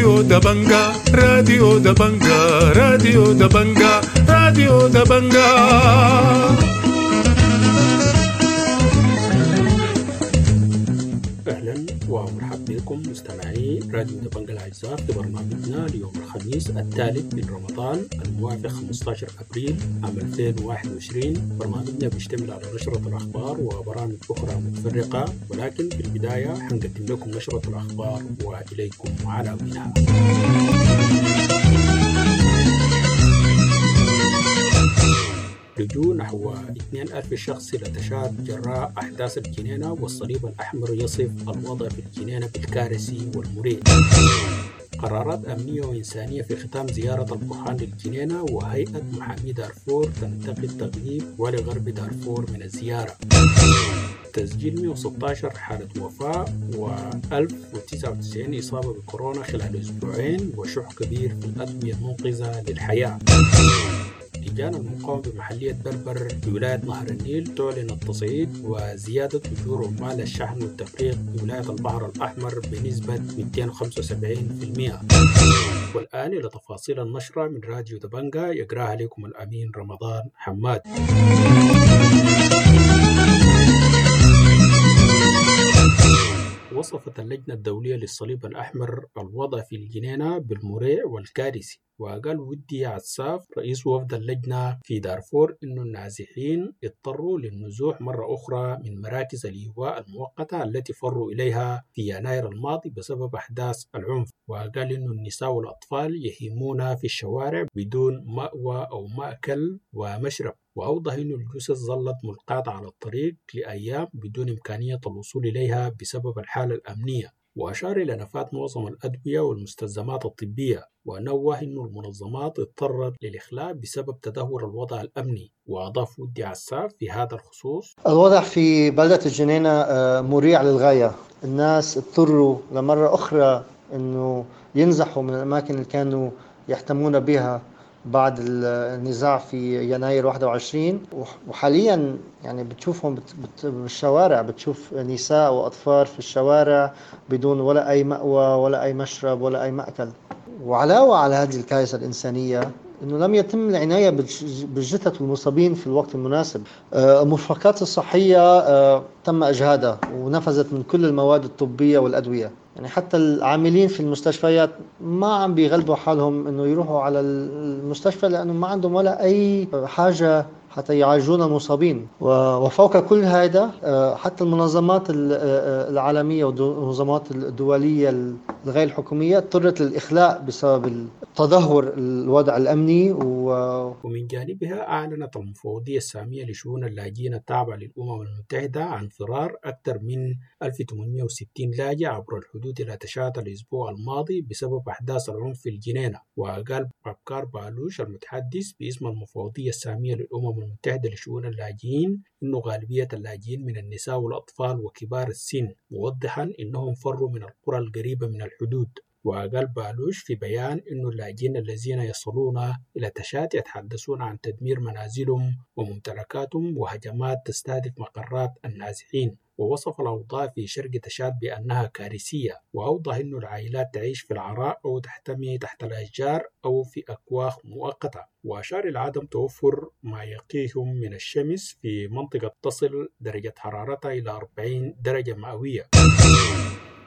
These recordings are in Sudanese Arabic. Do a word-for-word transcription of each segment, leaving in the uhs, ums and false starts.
راديو دبنجا، راديو دبنجا، راديو دبنجا، راديو دبنجا. أهلا ومرحبا بكم مستمعي راديو دبنجا الأعزاء في برنامجنا ليوم الخميس الثالث من رمضان الموافق خمسة عشر أبريل عام ألفين وواحد وعشرين. برنامجنا بيشتمل على نشرة الأخبار وبرامج أخرى متفرقة، ولكن في البداية حنقدم لكم نشرة الأخبار وإليكم عناوينها. لجوء نحو اثنين ألف شخص إلى تشاد جراء أحداث الجنينة، والصليب الأحمر يصف الوضع في الجنينة بالكارثي والمريع. قرارات أمنية وإنسانية في ختام زيارة البرهان للجنينة، وهيئة محامي دارفور تنتقد تغييب والي غرب دارفور من الزيارة. تسجيل مئة وستة عشر حالة وفاة و ألف وتسعة وتسعين إصابة بكورونا خلال أسبوعين، وشح كبير في الأدوية المنقذة للحياة. لجان المقاومة بمحلية بربر بولاية نهر النيل تعلن التصعيد وزيادة أجور عمال الشحن والتفريغ بولاية البحر الأحمر بنسبة مئتين وخمسة وسبعين بالمئة. والآن إلى تفاصيل النشرة من راديو دبنجا يقراها لكم الأمين رمضان حماد. وصفت اللجنة الدولية للصليب الأحمر الوضع في الجنينة بالمريع والكارثي، وقال ودي عساف رئيس وفد اللجنة في دارفور إنه النازحين اضطروا للنزوح مرة أخرى من مراكز الإيواء المؤقتة التي فروا إليها في يناير الماضي بسبب أحداث العنف، وقال إنه النساء والأطفال يهيمون في الشوارع بدون مأوى أو مأكل ومشرب، وأوضح أن الجثث ظلت ملقاة على الطريق لأيام بدون إمكانية الوصول إليها بسبب الحالة الأمنية، وأشار إلى نفاذ معظم الأدوية والمستلزمات الطبية، ونوه أن المنظمات اضطرت للإخلاء بسبب تدهور الوضع الأمني. وأضاف ودي عساف في هذا الخصوص: الوضع في بلدة الجنينة مريع للغاية، الناس اضطروا لمرة أخرى أنه ينزحوا من الأماكن اللي كانوا يحتمون بها بعد النزاع في يناير واحد وعشرين، وحاليا يعني بتشوفهم بالشوارع، بتشوف نساء وأطفال في الشوارع بدون ولا أي مأوى ولا أي مشرب ولا أي مأكل. وعلاوة على هذه الكارثة الإنسانية أنه لم يتم العناية بالجثث والمصابين في الوقت المناسب. المرفقات الصحية تم إجهادها ونفذت من كل المواد الطبية والأدوية، يعني حتى العاملين في المستشفيات ما عم بيغلبوا حالهم انه يروحوا على المستشفى لانه ما عندهم ولا اي حاجه حتى يعالجون المصابين. وفوق كل هذا حتى المنظمات العالميه والمنظمات الدوليه الغير الحكوميه اضطرت للاخلاء بسبب تدهور الوضع الامني. و... ومن جانبها اعلنت المفوضيه الساميه لشؤون اللاجئين التابعه للامم المتحده عن فرار اكثر من ألف وثمانمئة وستين لاجئ عبر الحدود إلى تشاد الأسبوع الماضي بسبب أحداث العنف في الجنينة. وقال بابكار بالوش المتحدث باسم المفوضية السامية للأمم المتحدة لشؤون اللاجئين إنه غالبية اللاجئين من النساء والأطفال وكبار السن، موضحا إنهم فروا من القرى القريبة من الحدود. وقال بالوش في بيان إنه اللاجئين الذين يصلون إلى تشاد يتحدثون عن تدمير منازلهم وممتلكاتهم وهجمات تستهدف مقرات النازحين، ووصف الأوضاع في شرق تشاد بأنها كارثية، وأوضح أن العائلات تعيش في العراء أو تحتمي تحت الأشجار أو في أكواخ مؤقتة، وأشار إلى عدم توفر ما يقيهم من الشمس في منطقة تصل درجة حرارتها إلى أربعين درجة مئوية.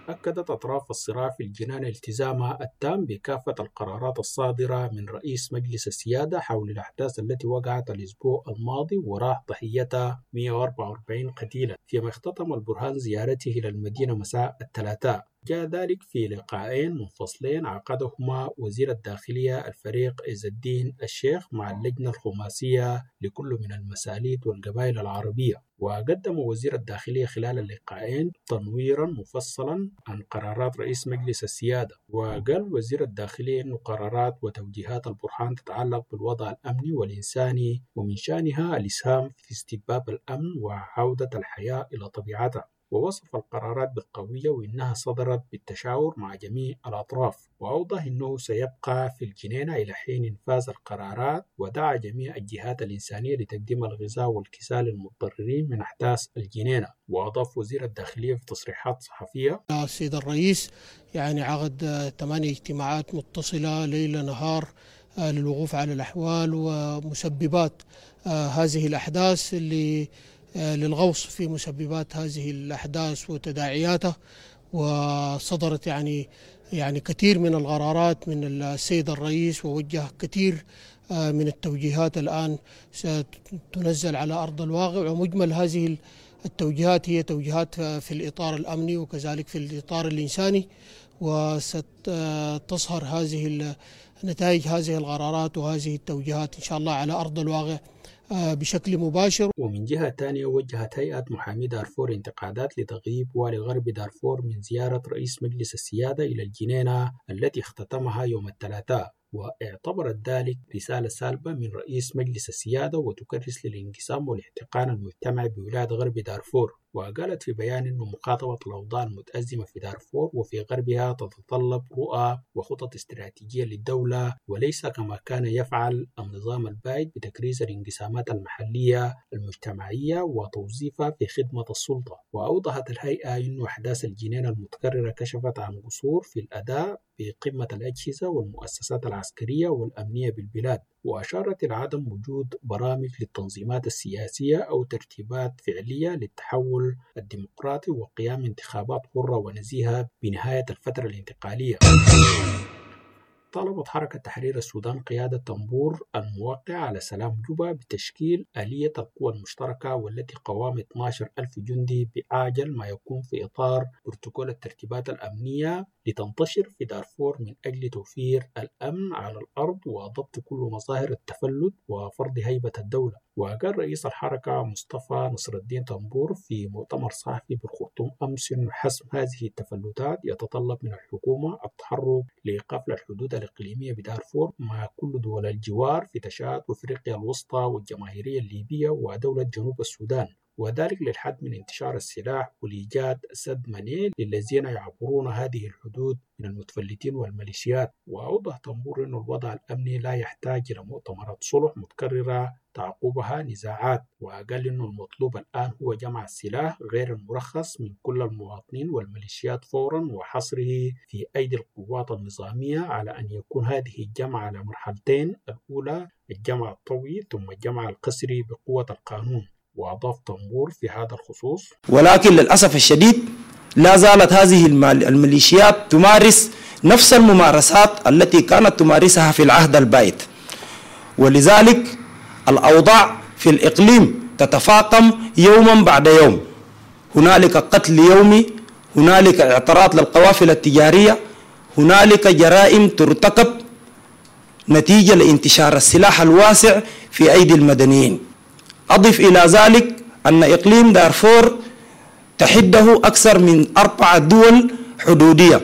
أكدت أطراف الصراع في الجنان التزامها التام بكافة القرارات الصادرة من رئيس مجلس السيادة حول الأحداث التي وقعت الأسبوع الماضي وراح ضحيتها مئة وأربعة وأربعين قتيلا، فيما اختتم البرهان زيارته إلى المدينة مساء الثلاثاء. جاء ذلك في لقاءين منفصلين عقدهما وزير الداخلية الفريق عز الدين الشيخ مع اللجنة الخماسية لكل من المساليت والقبائل العربية. وقدم وزير الداخلية خلال اللقاءين تنويرا مفصلا عن قرارات رئيس مجلس السيادة. وقال وزير الداخلية أن قرارات وتوجيهات البرهان تتعلق بالوضع الأمني والإنساني ومن شأنها الإسهام في استتباب الأمن وعودة الحياة إلى طبيعتها. ووصف القرارات بالقوية وإنها صدرت بالتشاور مع جميع الأطراف، وأوضح أنه سيبقى في الجنينة إلى حين إنفاذ القرارات، ودعا جميع الجهات الإنسانية لتقديم الغذاء والكساء للمتضررين من أحداث الجنينة. وأضاف وزير الداخلية في تصريحات صحفية: السيد الرئيس يعني عقد ثمانية اجتماعات متصلة ليل نهار للوقوف على الأحوال ومسببات هذه الأحداث، للغوص في مسببات هذه الأحداث وتداعياتها، وصدرت يعني يعني كثير من القرارات من السيد الرئيس، ووجه كثير من التوجيهات الآن ستنزل على أرض الواقع. ومجمل هذه التوجيهات هي توجيهات في الإطار الأمني وكذلك في الإطار الإنساني، وستظهر هذه نتائج هذه القرارات وهذه التوجيهات إن شاء الله على أرض الواقع بشكل مباشر. ومن جهة ثانية وجهت هيئة محامي دارفور انتقادات لتغييب والي غرب دارفور من زيارة رئيس مجلس السيادة إلى الجنينة التي اختتمها يوم الثلاثاء، واعتبرت ذلك رسالة سالبة من رئيس مجلس السيادة وتكرس للانقسام والاحتقان المجتمعي بولاية غرب دارفور. وقالت في بيان أن مخاطبة الأوضاع المتأزمة في دارفور وفي غربها تتطلب رؤى وخطط استراتيجية للدولة، وليس كما كان يفعل النظام البائد بتكريس الانقسامات المحلية المجتمعية وتوظيفها في خدمة السلطة. وأوضحت الهيئة أن أحداث الجنينة المتكررة كشفت عن قصور في الأداء بقمة الأجهزة والمؤسسات العسكرية والأمنية بالبلاد، وأشارت إلى عدم وجود برامج للتنظيمات السياسية أو ترتيبات فعلية للتحول الديمقراطي وقيام انتخابات حرة ونزيهة بنهاية الفترة الانتقالية. طالبت حركة تحرير السودان قيادة طنبور الموقع على سلام جوبا بتشكيل آلية القوى المشتركة والتي قوام اثنا عشر ألف جندي بأعجل ما يكون في إطار بروتوكول الترتيبات الأمنية لتنتشر في دارفور من أجل توفير الأمن على الأرض وضبط كل مظاهر التفلت وفرض هيبة الدولة. وقال رئيس الحركة مصطفى نصر الدين طنبور في مؤتمر صحفي بالخرطوم أمس أن حسم هذه التفلتات يتطلب من الحكومة التحرك لإيقاف الحدود الإقليمية بدارفور مع كل دول الجوار في تشاد وإفريقيا الوسطى والجماهيرية الليبية ودولة جنوب السودان، وذلك للحد من انتشار السلاح ولإيجاد سد منيع للذين يعبرون هذه الحدود من المتفلتين والميليشيات. وأوضح طنبور أن الوضع الأمني لا يحتاج إلى مؤتمرات صلح متكررة تعقبها نزاعات، وقال أن المطلوب الآن هو جمع السلاح غير المرخص من كل المواطنين والميليشيات فورا وحصره في أيدي القوات النظامية، على أن يكون هذه الجمع على مرحلتين، الأولى الجمع الطوعي ثم الجمع القسري بقوة القانون. وأضاف طنبور في هذا الخصوص: ولكن للأسف الشديد لا زالت هذه الميليشيات تمارس نفس الممارسات التي كانت تمارسها في العهد البائد، ولذلك الأوضاع في الإقليم تتفاقم يوما بعد يوم. هنالك قتل يومي، هنالك اعتراض للقوافل التجارية، هنالك جرائم ترتكب نتيجة لانتشار السلاح الواسع في أيدي المدنيين. أضف إلى ذلك أن إقليم دارفور تحده أكثر من أربع دول حدودية،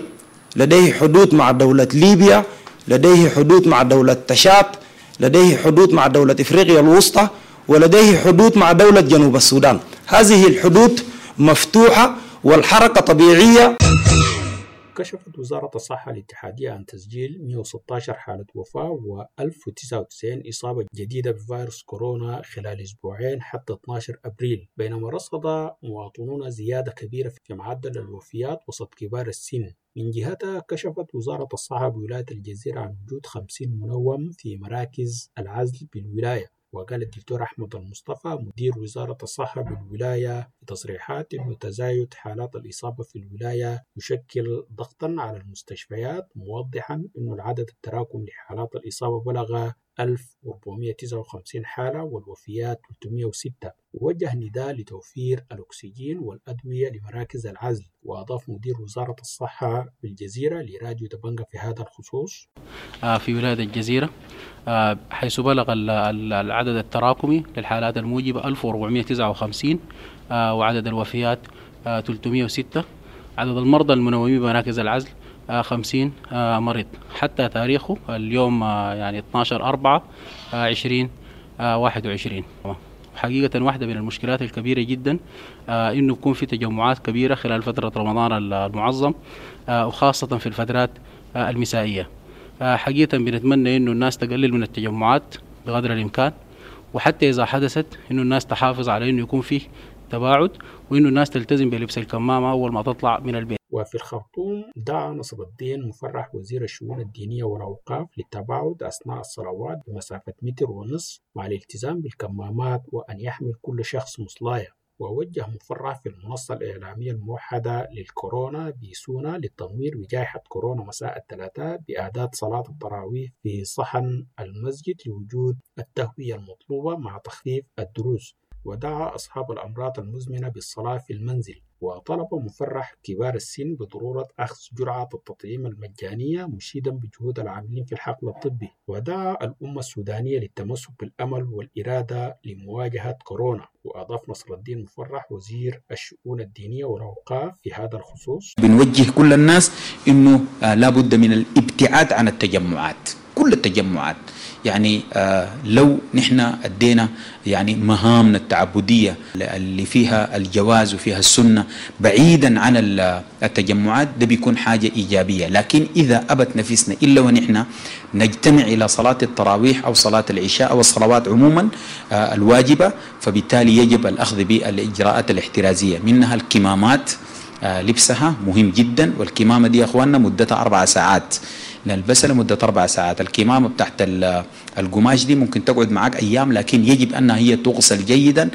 لديه حدود مع دولة ليبيا، لديه حدود مع دولة تشاد، لديه حدود مع دولة إفريقيا الوسطى، ولديه حدود مع دولة جنوب السودان. هذه الحدود مفتوحة والحركة طبيعية. كشفت وزارة الصحة الاتحادية عن تسجيل مئة وستة عشر حالة وفاة و ألف وتسعة وتسعين إصابة جديدة بفيروس كورونا خلال أسبوعين حتى اثنا عشر أبريل، بينما رصد مواطنون زيادة كبيرة في معدل الوفيات وسط كبار السن. من جهتها كشفت وزارة الصحة بولاية الجزيرة عن وجود خمسين منوم في مراكز العزل بالولاية. وقال الدكتور أحمد المصطفى مدير وزارة الصحة بالولاية في تصريحات أن تزايد حالات الإصابة في الولاية يشكل ضغطا على المستشفيات، موضحا أن العدد التراكمي لحالات الإصابة بلغ ألف وأربعمئة وتسعة وخمسين حالة والوفيات ثلاثمئة وستة، ووجه نداء لتوفير الأكسجين والأدوية لمراكز العزل. وأضاف مدير وزارة الصحة بالجزيرة لراديو دبنجة في هذا الخصوص: في ولاية الجزيرة حيث بلغ العدد التراكمي للحالات الموجبة ألف وأربعمئة وتسعة وخمسين وعدد الوفيات ثلاثمئة وستة، عدد المرضى المنومين بمراكز العزل خمسين مريض حتى تاريخه اليوم يعني اثنا عشر أربعة عشرين واحد وعشرين. وحقيقة واحدة من المشكلات الكبيرة جدا آه إنه يكون في تجمعات كبيرة خلال فترة رمضان المعظم، آه وخاصة في الفترات آه المسائية. آه حقيقة بنتمنى إنه الناس تقلل من التجمعات بقدر الإمكان، وحتى إذا حدثت إنه الناس تحافظ على إنه يكون فيه تباعد، وإنه الناس تلتزم بلبس الكمامة أول ما تطلع من البيت. وفي الخرطوم دعا نصر الدين مفرح وزير الشؤون الدينية والأوقاف للتباعد أثناء الصلوات بمسافة متر ونصف مع الالتزام بالكمامات وأن يحمل كل شخص مصلاية. ووجه مفرح في المنصة الإعلامية الموحدة للكورونا بسونا للتنوير بجائحة كورونا مساء الثلاثاء بأداة صلاة التراويح في صحن المسجد لوجود التهوية المطلوبة مع تخفيف الدروس. ودعا أصحاب الأمراض المزمنة بالصلاة في المنزل. وطلب مفرح كبار السن بضرورة أخذ جرعة التطعيم المجانية مشيدا بجهود العاملين في الحقل الطبي. ودعا الأمة السودانية للتمسك بالأمل والإرادة لمواجهة كورونا. وأضاف نصر الدين مفرح وزير الشؤون الدينية والأوقاف في هذا الخصوص: بنوجه كل الناس إنه لابد من الابتعاد عن التجمعات، كل التجمعات. يعني لو نحن أدينا يعني مهامنا التعبدية اللي فيها الجواز وفيها السنة بعيدا عن التجمعات، ده بيكون حاجة إيجابية. لكن إذا أبت نفسنا إلا ونحن نجتمع إلى صلاة التراويح أو صلاة العشاء أو الصلوات عموما الواجبة، فبالتالي يجب الأخذ بالإجراءات الاحترازية، منها الكمامات، لبسها مهم جدا. والكمامة دي يا أخواننا مدتها أربع ساعات، نلبسها لمدة أربع ساعات. الكمامة بتاعت القماش دي ممكن تقعد معك أيام، لكن يجب أنها هي تغسل جيدا.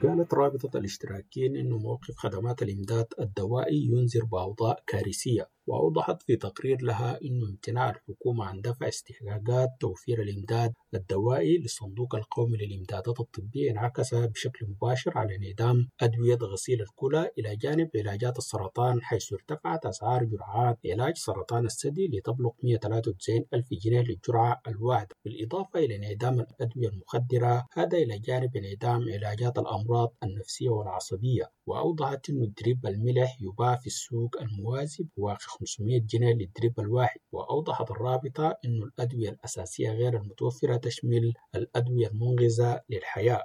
قالت رابطة الاشتراكيين إنه موقف خدمات الإمداد الدوائي ينذر بأوضاع كارثية. وأوضحت في تقرير لها إنه امتناع الحكومة عن دفع استحقاقات توفير الإمداد الدوائي للصندوق القومي للإمدادات الطبية انعكس بشكل مباشر على انعدام أدوية غسيل الكلى إلى جانب علاجات السرطان، حيث ارتفعت أسعار جرعات علاج سرطان الثدي لتبلغ مئة وثلاثة وتسعين ألف جنيه للجرعة الواحدة، بالإضافة إلى انعدام الأدوية المخدرة، هذا إلى جانب انعدام علاجات الأمراض النفسية والعصبية. وأوضحت أن دريب الملح يباع في السوق الموازي بواقع خمسمئة جنيه للدريب الواحد. وأوضحت الرابطة أن الأدوية الأساسية غير المتوفرة تشمل الأدوية المنقذة للحياة.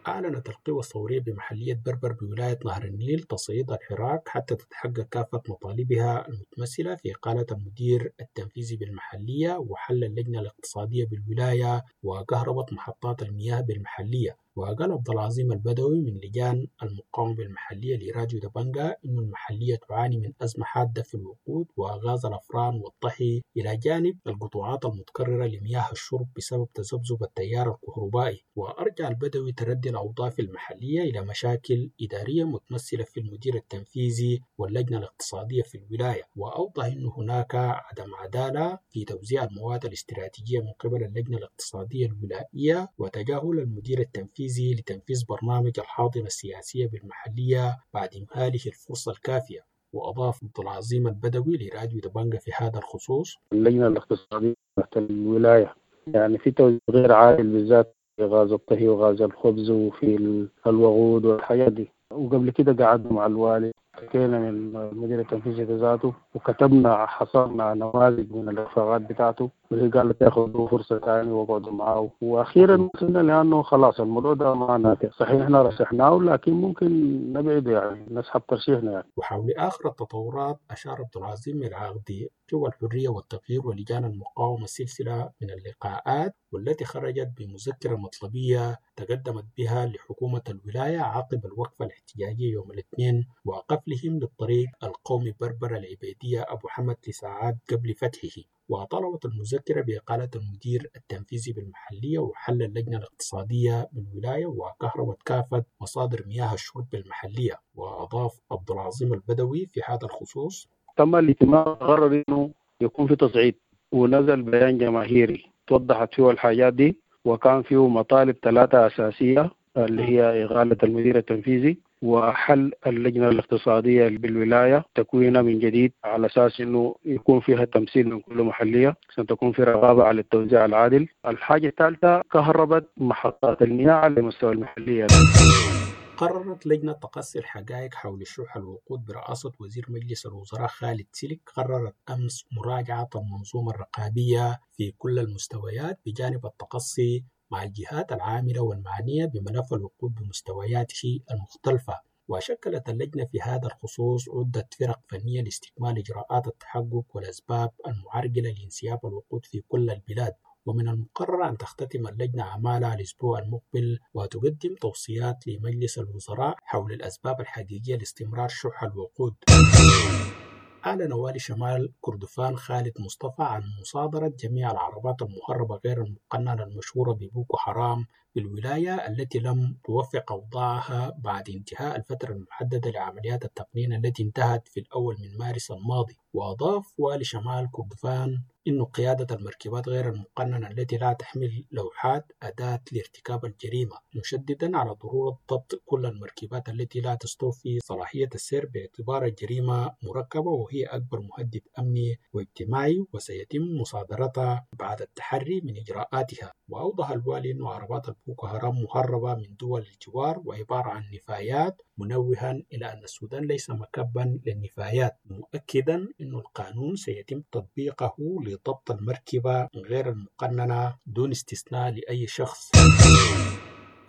أعلنت القوى الثورية بمحلية بربر بولاية نهر النيل تصعيد الحراك حتى تتحقق كافة مطالبها المتمثلة في إقالة المدير التنفيذي بالمحلية وحل اللجنة الاقتصادية بالولاية وكهربة محطات المياه بالمحلية. وقال عبد العظيم البدوي من لجان المقاومة بالمحلية لراديو دبنجا إن المحلية تعاني من أزمة حادة في الوقود وغاز الأفران والطحي إلى جانب القطوعات المتكررة لمياه الشرب بسبب تذبذب التيار الكهربائي. وأرجع البدوي تردي الأوضاع في المحلية إلى مشاكل إدارية متمثلة في المدير التنفيذي واللجنة الاقتصادية في الولاية. وأوضح أن هناك عدم عدالة في توزيع المواد الاستراتيجية من قبل اللجنة الاقتصادية الولائية وتجاهل المدير التنفيذي لتنفيذ برنامج الحاضنة السياسية بالمحلية بعد إمهاله الفرصة الكافية. وأضاف عبد العظيم البدوي لراديو دبنجا في هذا الخصوص: اللجنة الاقتصادية تحت الولاية يعني في توزيع غير عادل بالذات في غاز الطهي وغاز الخبز وفي الوقود والحاجات دي. وقبل كده قعدنا مع الوالي، حكينا من المدير التنفيذي ذاته وكتبنا حصلنا نماذج من الإخفاقات بتاعته، وهي قالت ياخذوا فرصة ثانية وقعدوا معاه. وأخيرا وصلنا لأنه خلاص الموضوع ده ما نافع، صحيح احنا رشحناه لكن ممكن نبعده يعني نسحب ترشيحنا يعني. وحول آخر التطورات أشار عبد العظيم العاقدي قوى الحرية والتغيير ولجان المقاومة سلسلة من اللقاءات والتي خرجت بمذكرة مطلبية تقدمت بها لحكومة الولاية عقب الوقفة الاحتجاجية يوم الاثنين وقفلهم للطريق القومي بربر العبيدية أبو حمد لساعات قبل فتحه. وطلبت المذكرة بإقالة المدير التنفيذي بالمحلية وحل اللجنة الاقتصادية بالولاية وكهربة كافة مصادر مياه الشرب بالمحلية. وأضاف عبد العظيم البدوي في هذا الخصوص: تم الاجتماع قرر انه يكون في تصعيد، ونزل بيان جماهيري توضحت فيه الحاجات دي، وكان فيه مطالب ثلاثة أساسية اللي هي إغالة المدير التنفيذي وحل اللجنة الاقتصادية بالولاية تكوينها من جديد على أساس أنه يكون فيها تمثيل من كل محلية عشان تكون في رقابة على التوزيع العادل. الحاجة الثالثة كهربة محطات المياه على مستوى المحلية. قررت لجنة تقصي الحقائق حول شح الوقود برئاسة وزير مجلس الوزراء خالد سلك قررت أمس مراجعة المنظومة الرقابية في كل المستويات بجانب التقصي مع الجهات العاملة والمعنية بملف الوقود بمستوياته المختلفة. وشكلت اللجنة في هذا الخصوص عدة فرق فنية لاستكمال إجراءات التحقق والأسباب المعرقلة لانسياب الوقود في كل البلاد. ومن المقرر أن تختتم اللجنة أعمالها الأسبوع المقبل وتقدم توصيات لمجلس الوزراء حول الأسباب الحقيقية لاستمرار شح الوقود. أعلن والي شمال كردفان خالد مصطفى عن مصادرة جميع العربات المهربة غير المقننة المشهورة ببوكو حرام بالولاية التي لم توفق أوضاعها بعد انتهاء الفترة المحددة لعمليات التقنين التي انتهت في الأول من مارس الماضي. وأضاف والي شمال كردفان إن قيادة المركبات غير المقننة التي لا تحمل لوحات أداة لارتكاب الجريمة، مشددا على ضرورة ضبط كل المركبات التي لا تستوفي صلاحية السير باعتبار الجريمة مركبة وهي أكبر مهدد أمني واجتماعي، وسيتم مصادرتها بعد التحري من إجراءاتها. وأوضح الوالي أن عربات البوكو حرام مهربة من دول الجوار وعبارة عن نفايات، منوها إلى أن السودان ليس مكبا للنفايات، مؤكدا أن القانون سيتم تطبيقه لضبط المركبة غير المقننة دون استثناء لأي شخص.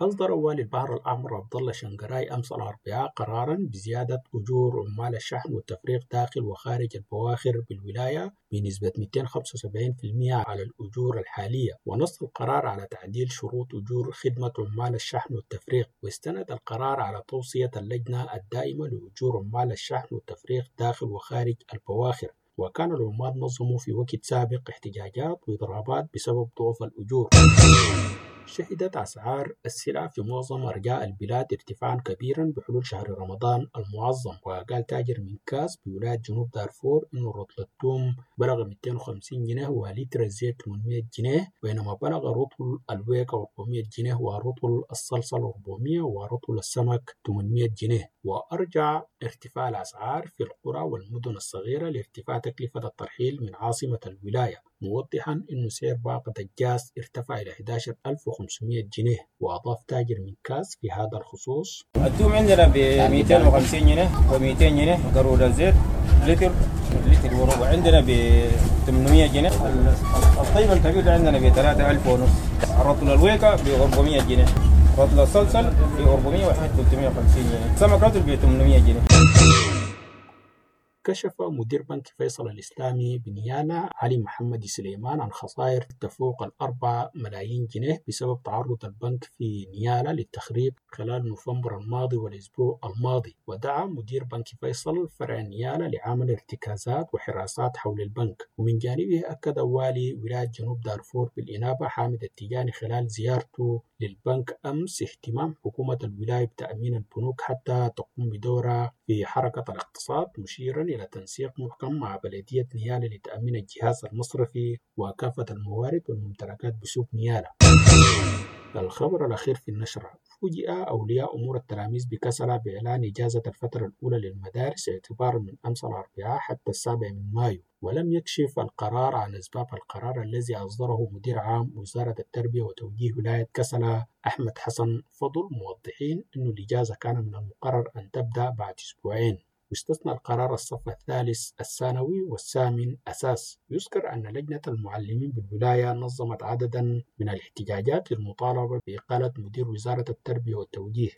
أصدر والي البحر الأحمر عبد الله شنقراي أمس الأربعاء قرارا بزيادة أجور عمال الشحن والتفريغ داخل وخارج البواخر بالولاية بنسبة مئتين وخمسة وسبعين بالمئة على الأجور الحالية، ونص القرار على تعديل شروط أجور خدمة عمال الشحن والتفريغ. واستند القرار على توصية اللجنة الدائمة لأجور عمال الشحن والتفريغ داخل وخارج البواخر. وكان العمال نظموا في وقت سابق احتجاجات وإضرابات بسبب ضعف الأجور. شهدت أسعار السلع في معظم أرجاء البلاد ارتفاعا كبيرا بحلول شهر رمضان المعظم. وقال تاجر من كاس بولاية جنوب دارفور إنه رطل الثوم بلغ مئتين وخمسين جنيه ولتر الزيت ثمانمئة جنيه، بينما بلغ رطل الويكة أربعمئة جنيه ورطل الصلصل أربعمئة ورطل السمك ثمانمئة جنيه. وأرجع ارتفاع الأسعار في القرى والمدن الصغيرة لارتفاع تكلفة الترحيل من عاصمة الولاية، موضحا أن سعر باقة الجاز ارتفع إلى أحد عشر ألف وخمسمئة جنيه. وأضاف تاجر من كاس في هذا الخصوص: الثوم عندنا ب مئتين وخمسين جنيه و200 جنيه، قارورة زيت لتر لتر وربع عندنا ب ثمانمئة جنيه، الطيب الكبير عندنا ب ثلاثة آلاف ونص، رطل الويكة ب أربعمئة جنيه، رطل الصلصل ب أربعمئة وواحد ثلاثمئة وخمسين جنيه، سمك رطل ب ثمانمئة جنيه. كشف مدير بنك فيصل الإسلامي بنيالا علي محمد سليمان عن خسائر تفوق الأربعة ملايين جنيه بسبب تعرض البنك في نيالا للتخريب خلال نوفمبر الماضي والأسبوع الماضي. ودعا مدير بنك فيصل فرع نيالا لعمل ارتكازات وحراسات حول البنك. ومن جانبه أكد والي ولاية جنوب دارفور بالإنابة حامد التجاني خلال زيارته للبنك أمس اهتمام حكومة الولاية بتأمين البنوك حتى تقوم بدورها في حركة الاقتصاد، مشيرا إلى تنسيق محكم مع بلدية نيالا لتأمين الجهاز المصرفي وكافة الموارد والممتلكات بسوق نيالا. الخبر الأخير في النشرة: فوجئ أولياء أمور التلاميذ بكسلة بإعلان إجازة الفترة الأولى للمدارس اعتبارا من أمس الأربعاء حتى السابع من مايو، ولم يكشف القرار عن أسباب القرار الذي أصدره مدير عام وزارة التربية وتوجيه ولاية كسلة أحمد حسن فضل، موضحين أن الإجازة كان من المقرر أن تبدأ بعد أسبوعين. واستثنى القرار الصف الثالث الثانوي والثامن أساس. يذكر أن لجنة المعلمين بالولاية نظمت عددا من الاحتجاجات للمطالبة بإقالة مدير وزارة التربية والتوجيه.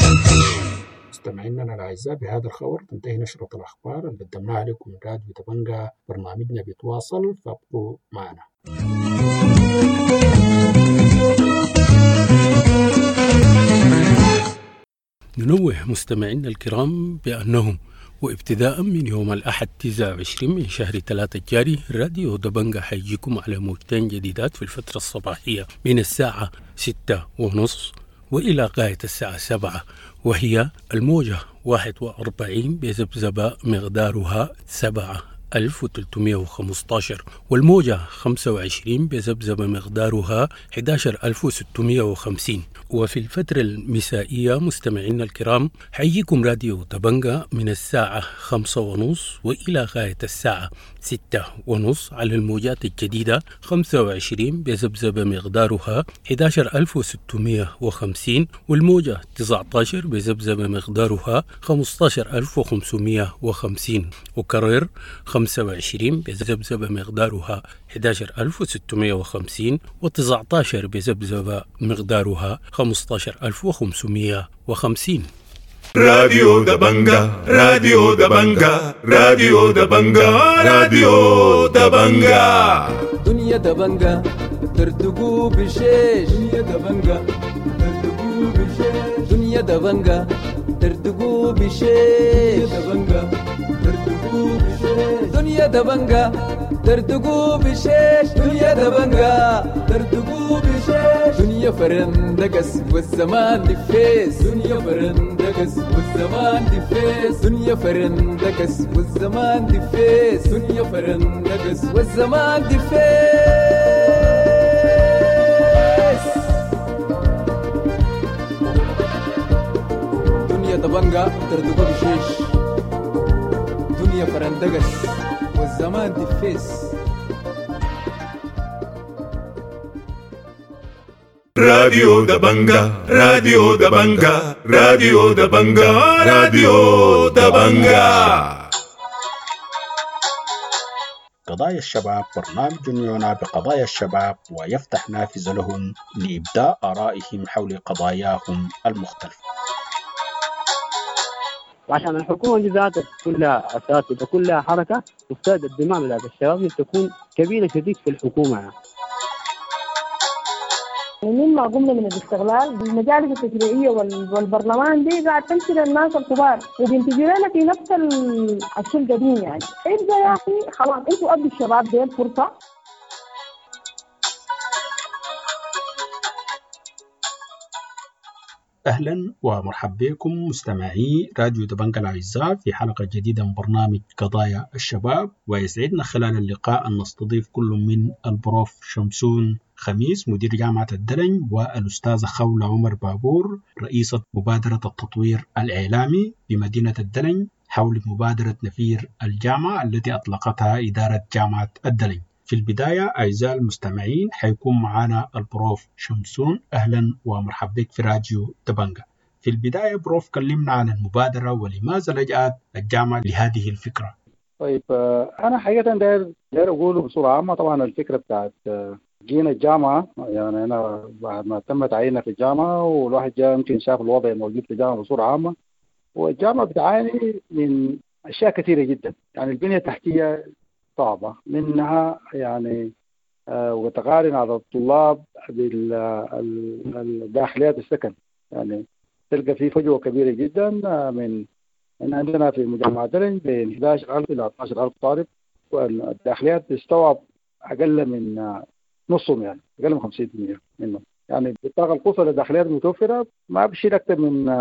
مستمعينا الأعزاء، بهذا الخبر تنتهي نشرة الأخبار اللي قدمناها لكم من راديو دبنجا. برنامجنا بيتواصل، فابقوا معنا. ننوه مستمعينا الكرام بأنهم وابتداء من يوم الأحد تسعة وعشرين من شهر ثلاثة الجاري راديو دبنجا حيجيكم على موجتين جديدات في الفترة الصباحية من الساعة ستة ونص وإلى غاية الساعة سبعة، وهي الموجة واحد وأربعين بذبذبة مقدارها سبعة ألف وثلاثمئة وخمسة عشر، والموجة خمسة وعشرين بذبذبة مقدارها أحد عشر ألف وستمئة وخمسين. وفي الفترة المسائية مستمعينا الكرام حيجيكم راديو دبنجا من الساعة خمسة ونص وإلى غاية الساعة ستة ونص على الموجات الجديدة خمسة وعشرين بذبذبة مقدارها أحد عشر ألف وستمائة وخمسين، والموجة تسعة عشر بذبذبة مقدارها خمسة عشر ألف وخمسمائة وخمسين، وكرر خمسة وعشرين بذبذبة مقدارها أحد عشر ألف وستمائة وخمسين، وتسعة عشر بذبذبة مقدارها خمسة عشر ألف وخمسمائة وخمسين. راديو دبنجا، راديو دبنجا، راديو دبنجا، راديو دبنجا. دنيا دبنجا ترتقو بشيش، دنيا دبنجا ترتقو بشيش، دنيا دبنجا ترتقو بشيش، دبنجا ترتقو بشيش، دنيا دبنجا ترتقو بشيش، دنيا دبنجا ترتقو بشيش، دنيا فرندقس والزمان دفيس، دنيا فرندقس والزمان دفيس، دنيا فرندقس والزمان دفيس، دنيا فرندقس والزمان دفيس. دنيا دبنجا ترتقو بشيش، دنيا فرندقس والزمان دفيس. راديو دبنجا، راديو دبنجا، راديو دبنجا، راديو دبنجا. قضايا الشباب برنامج يعنى بقضايا الشباب ويفتح نافذة لهم لإبداء آرائهم حول قضاياهم المختلفة. وعشان الحكومة دي ذاتها كلها أساتذة كلها حركة، تفتاد الدماء بتاعت الشباب تكون كبيرة شديد في الحكومة يعني. مما قمنا من الاستغلال المجالس التشريعية والبرلمان دي قاعد تمشي للناس الكبار وبينتجوا لنا في نفس الشيء القديم يعني. ابدا يا أخي خلاص انتوا أدوا الشباب دي الفرصة. أهلا ومرحبا بكم مستمعي راديو دبنجا الأعزاء في حلقة جديدة من برنامج قضايا الشباب، ويسعدنا خلال اللقاء أن نستضيف كل من البروف شمسون خميس مدير جامعة الدلنج، والأستاذة خولة عمر بابور رئيسة مبادرة التطوير الإعلامي بمدينة الدلنج حول مبادرة نفير الجامعة التي أطلقتها إدارة جامعة الدلنج. في البداية أعزائي المستمعين حيكون معنا البروف شمسون. أهلا ومرحبا بك في راديو دبنجا. في البداية بروف، كلمنا عن المبادرة ولماذا لجأت الجامعة لهذه الفكرة. طيب أنا حقيقة داير داير أقوله بصورة عامة. طبعا الفكرة بتاعت جينا الجامعة، يعني أنا بعد ما تم تعييننا في الجامعة والواحد جاء يمكن شاف الوضع الموجود في الجامعة بصورة عامة، والجامعة بتعاني من أشياء كثيرة جدا. يعني البنية التحتية صعبة، منها يعني آه وتقارن على الطلاب بالداخليات السكن، يعني تلقى في فجوة كبيرة جدا. من من عندنا في مجمع دلنج بين أحد عشر ألف إلى اثنا عشر ألف طالب، والداخليات تستوعب أقل من نصهم، يعني أقل من خمسين بالمئة منهم. يعني بالطاقة القصوى للداخليات المتوفرة ما بشيل أكثر من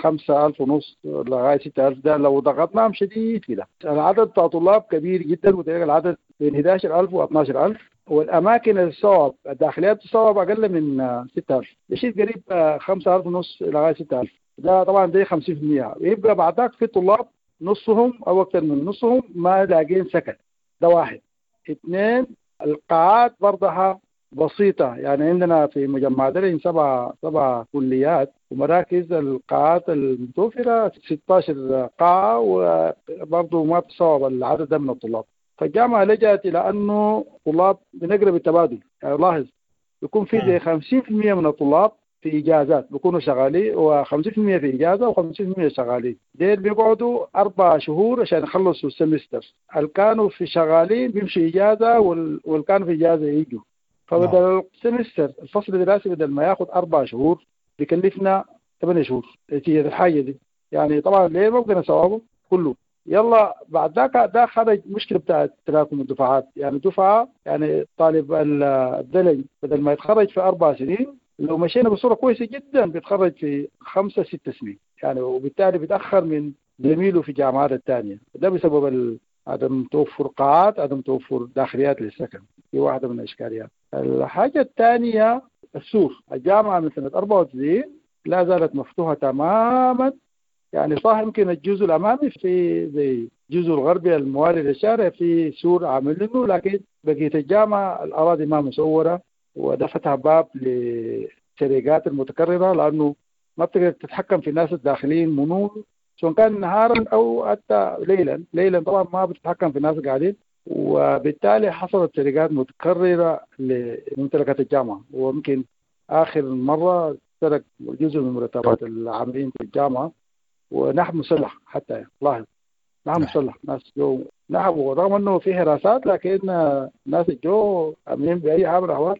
خمسة ألف ونص لغاية ستة ألف، ده لو ضغطناهم شديد كده. العدد بتاع طلاب كبير جدا، وتلقى العدد بين أحد عشر ألف و اثنا عشر ألف، والأماكن الصواب الداخليات تصوب أقل من ستة ألف، بشيل قريب خمسة ألف ونص لغاية ستة ألف، ده طبعا ده خمسين بالمئة. ويبقى بعدك في طلاب نصهم أو أكثر من نصهم ما لاقين سكن، ده واحد. اثنين، القاعات برضها بسيطة، يعني عندنا في مجمع دلنج سبع سبع كليات ومراكز، القاعات المتوفرة ستة عشر قاعة، وبرضه ما بتصوب العدد ده من الطلاب. فالجامعة لجأت إلى أنه طلاب بنقرب التبادل، يعني لاحظ يكون في زي خمسين بالمئة من الطلاب في إجازات بيكونوا شغالين، وخمسين بالمئة في إجازة وخمسين بالمئة شغالين. ديل بيقعدوا أربع شهور عشان يخلصوا السمستر. اللي كانوا في شغالين بيمشوا إجازة، واللي كانوا في إجازة يجوا. فبدل ال semester الفصل الدراسي بدل ما ياخذ أربع شهور بيكلفنا ثمانية شهور نتيجة الحاجة دي. يعني طبعا ليه ما بقدر نسويه كله. يلا بعد ذاك ده خرج مشكلة بتاعت تراكم الدفعات، يعني دفعة يعني طالب الدلنج بدل ما يتخرج في أربع سنين لو مشينا بصورة كويسة جدا بيتخرج في خمسة ست سنين، يعني وبالتالي بيتأخر من زميله في الجامعات الثانية. ده بسبب عدم توفر قاعات، عدم توفر داخليات للسكن، دي واحدة من الإشكاليات. الحاجة الثانية السور. الجامعة من سنة أربعة وتسعين لا زالت مفتوحة تماما، يعني صح يمكن الجزء الأمامي في زي الجزء الغربي الموالي للشارع في سور عاملينه، لكن بقية الجامعة الأراضي ما مسورة، وده فتح باب للسرقات المتكررة، لأنه ما بتقدر تتحكم في الناس الداخلين منو سواء كان نهارا أو حتى ليلا. ليلا طبعا ما بتتحكم في الناس قاعدين، وبالتالي حصلت سرقات متكررة لممتلكات الجامعة. وممكن آخر مرة سرق جزء من مرتبات العاملين في الجامعة ونحب مسلح، حتى لاحظ نحب مسلح، ناس جو نحبوا رغم انه في حراسات، لكن الناس جو امنين باي حال من الاحوال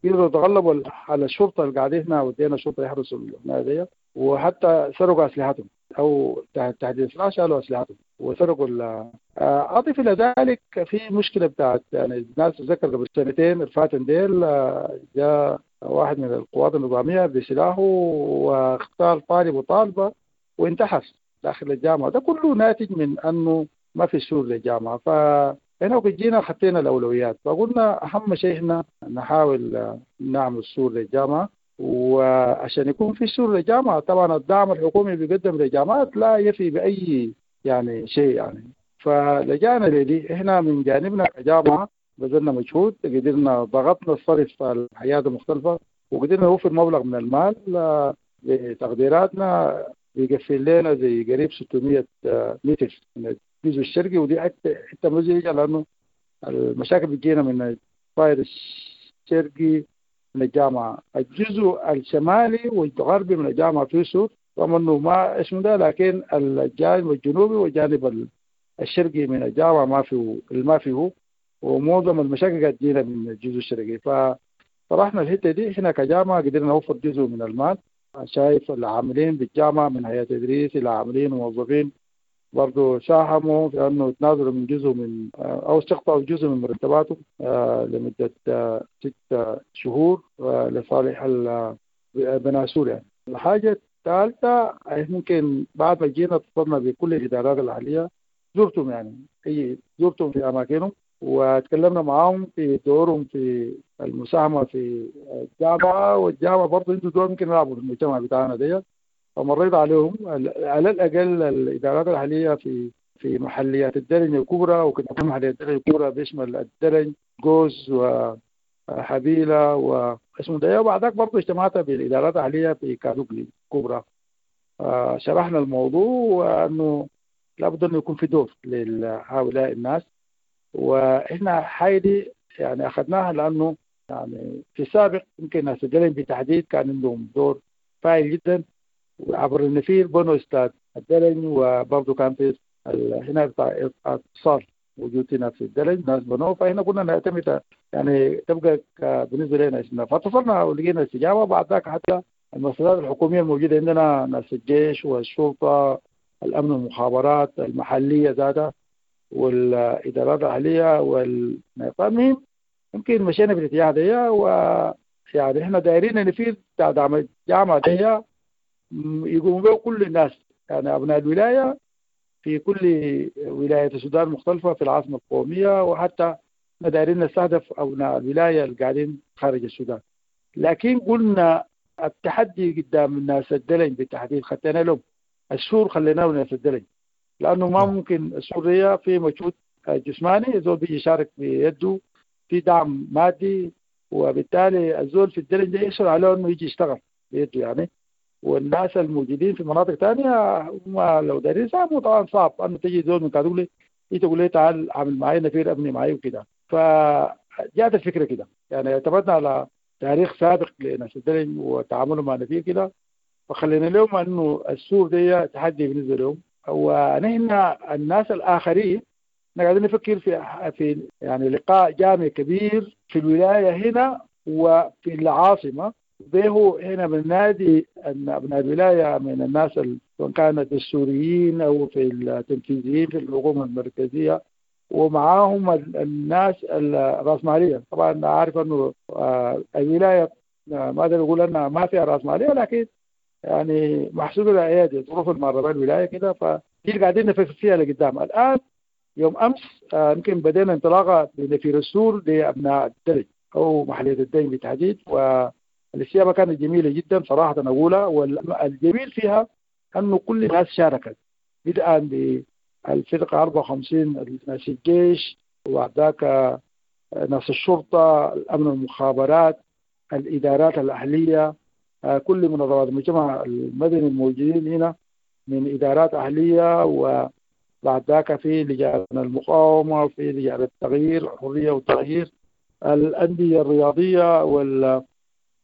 قدروا يتغلبوا على الشرطة اللي قاعدين هنا، ودينا الشرطة يحرسوا الناديه، وحتى سرقوا اسلحتهم او تحديد سلاح شالوا اسلحتهم وسرقوا. اضف الى ذلك في مشكلة بتاعت يعني الناس تذكر قبل سنتين الفاتن ديل جاء واحد من القوات النظامية بسلاحه واختار طالب وطالبه وانتحر داخل الجامعة. ده كله ناتج من انه ما في سور للجامعة. فهنا جينا خطينا الاولويات، فقلنا اهم شيء هنا نحاول نعمل سور للجامعة. وعشان يكون في سور للجامعة طبعا الدعم الحكومي بيقدم للجامعات لا يفي باي يعني شيء يعني. فلجانا لدي احنا من جانبنا كجامعه بذلنا مجهود، قدرنا ضغطنا الصرف على الحياة المختلفة، وقدرنا نوفر مبلغ من المال بتقديراتنا بيقفل لنا زي قريب ستمية متر من الجزء الشرقي، ودي حتى حتى مزعجة لانه المشاكل بتجينا من الطائر الشرقي من الجامعة. الجزء الشمالي والغربي من الجامعة فيه سور رغم انه ما اسمه ده، لكن الجانب الجنوبي والجانب الشرقي من الجامعة ما فيه ما فيه، ومعظم المشاكل قاعدة تجينا من الجزء الشرقي. فطرحنا الحتة دي احنا كجامعه قدرنا نوفر جزء من المال. شايف العاملين بالجامعة من هيئة تدريس إلى عاملين وموظفين برضو ساهموا في أنه تنازلوا من جزء من أو استقطعوا جزء من مرتباتهم لمدة ست شهور لصالح بناء سور يعني. الحاجة الثالثة ممكن بعد ما جينا اتصلنا بكل الإدارات الأهلية، زرتهم يعني أي زرتهم في أماكنهم وتكلمنا معاهم في دورهم في المساهمة في الجامعة، والجامعة برضه عنده دور ممكن يلعبوا في المجتمع بتاعنا دي. فمريت عليهم على الأقل الإدارات الأهلية في في محليات الدرج الكبرى، وكنت محليات الدرج الكبرى بيشمل الدرج جوز وحبيلة واسمه ده. وبعدك برضه اجتمعت بالإدارات الأهلية في كادوغلي الكبرى، شرحنا الموضوع وأنه لابد أنه يكون في دور لهؤلاء الناس. وإحنا حايدي يعني أخذناها لأنه يعني في السابق يمكن ناس الدلنج بالتحديد كان عندهم دور فاعل جدا، وعبر النفير بنوا استاد الدلنج، وبرضه كان في هنا بتاع اتصال موجود هنا في الدلنج ناس بنوه. فهنا كنا نعتمد يعني تبقى بالنسبة لنا اسمنا، فاتصلنا ولقينا استجابة. بعد ذاك حتى المؤسسات الحكومية الموجودة عندنا ناس الجيش والشرطة الأمن والمخابرات المحلية ذاتها والإدارات الأهلية والمهم يمكن مشينا في الاتجاه ده. ويعني احنا دايرين ان في دعم الجامعة دي يقوموا به كل الناس يعني أبناء الولاية في كل ولاية السودان المختلفة في العاصمة القومية، وحتى احنا دايرين نستهدف أبناء الولاية اللي قاعدين خارج السودان. لكن قلنا التحدي قدام الناس الدلنج بالتحديد خدنا لهم السور، خليناه لناس الدلنج لأنه ما ممكن السورية في مجهود جسماني الزول بيجي يشارك بيده في دعم مادي، وبالتالي الزول في الدلنج ده يسهل عليه انه يجي يشتغل بيده يعني. والناس الموجودين في مناطق ثانية هم لو دايرين يساهموا طبعا صعب انه تجي زول من كادوغلي تقول لي تعال عامل معي نفير ابني معي وكده. فجاءت الفكرة كده يعني، اعتمدنا على تاريخ سابق لناس الدلنج وتعاملهم مع نفير كده، فخلينا لهم انه السور دي تحدي بالنسبة لهم. ونحن الناس الآخرين احنا قاعدين نفكر في في يعني لقاء جامعي كبير في الولاية هنا وفي العاصمة، به هنا بنادي أن أبناء الولاية من الناس سواء كانت السوريين أو في التنفيذيين في الحكومة المركزية، ومعاهم الناس الرأسمالية. طبعا عارف أنه الولاية ما أقدر أقول أنها ما فيها رأسمالية، لكن يعني محسوب الأيادي ظروف المعربة الولاية كده، فدي اللي قاعدين نفكر فيها لقدام. الآن يوم أمس يمكن بدينا انطلاقة بنفير السور لأبناء الدرج أو محلية الدين بالتحديد، و الاستجابة كانت جميلة جدا صراحة اقولها، والجميل فيها انه كل الناس شاركت، بدءا بالفرقة أربعة وخمسين ناس الجيش، وبعد ذاك ناس الشرطة، الامن والمخابرات، الادارات الاهلية، كل منظمات المجتمع المدني الموجودين هنا من ادارات اهليه، وبعد ذاك في لجان المقاومة وفي لجان التغيير، الحرية والتغيير، الاندية الرياضية، وال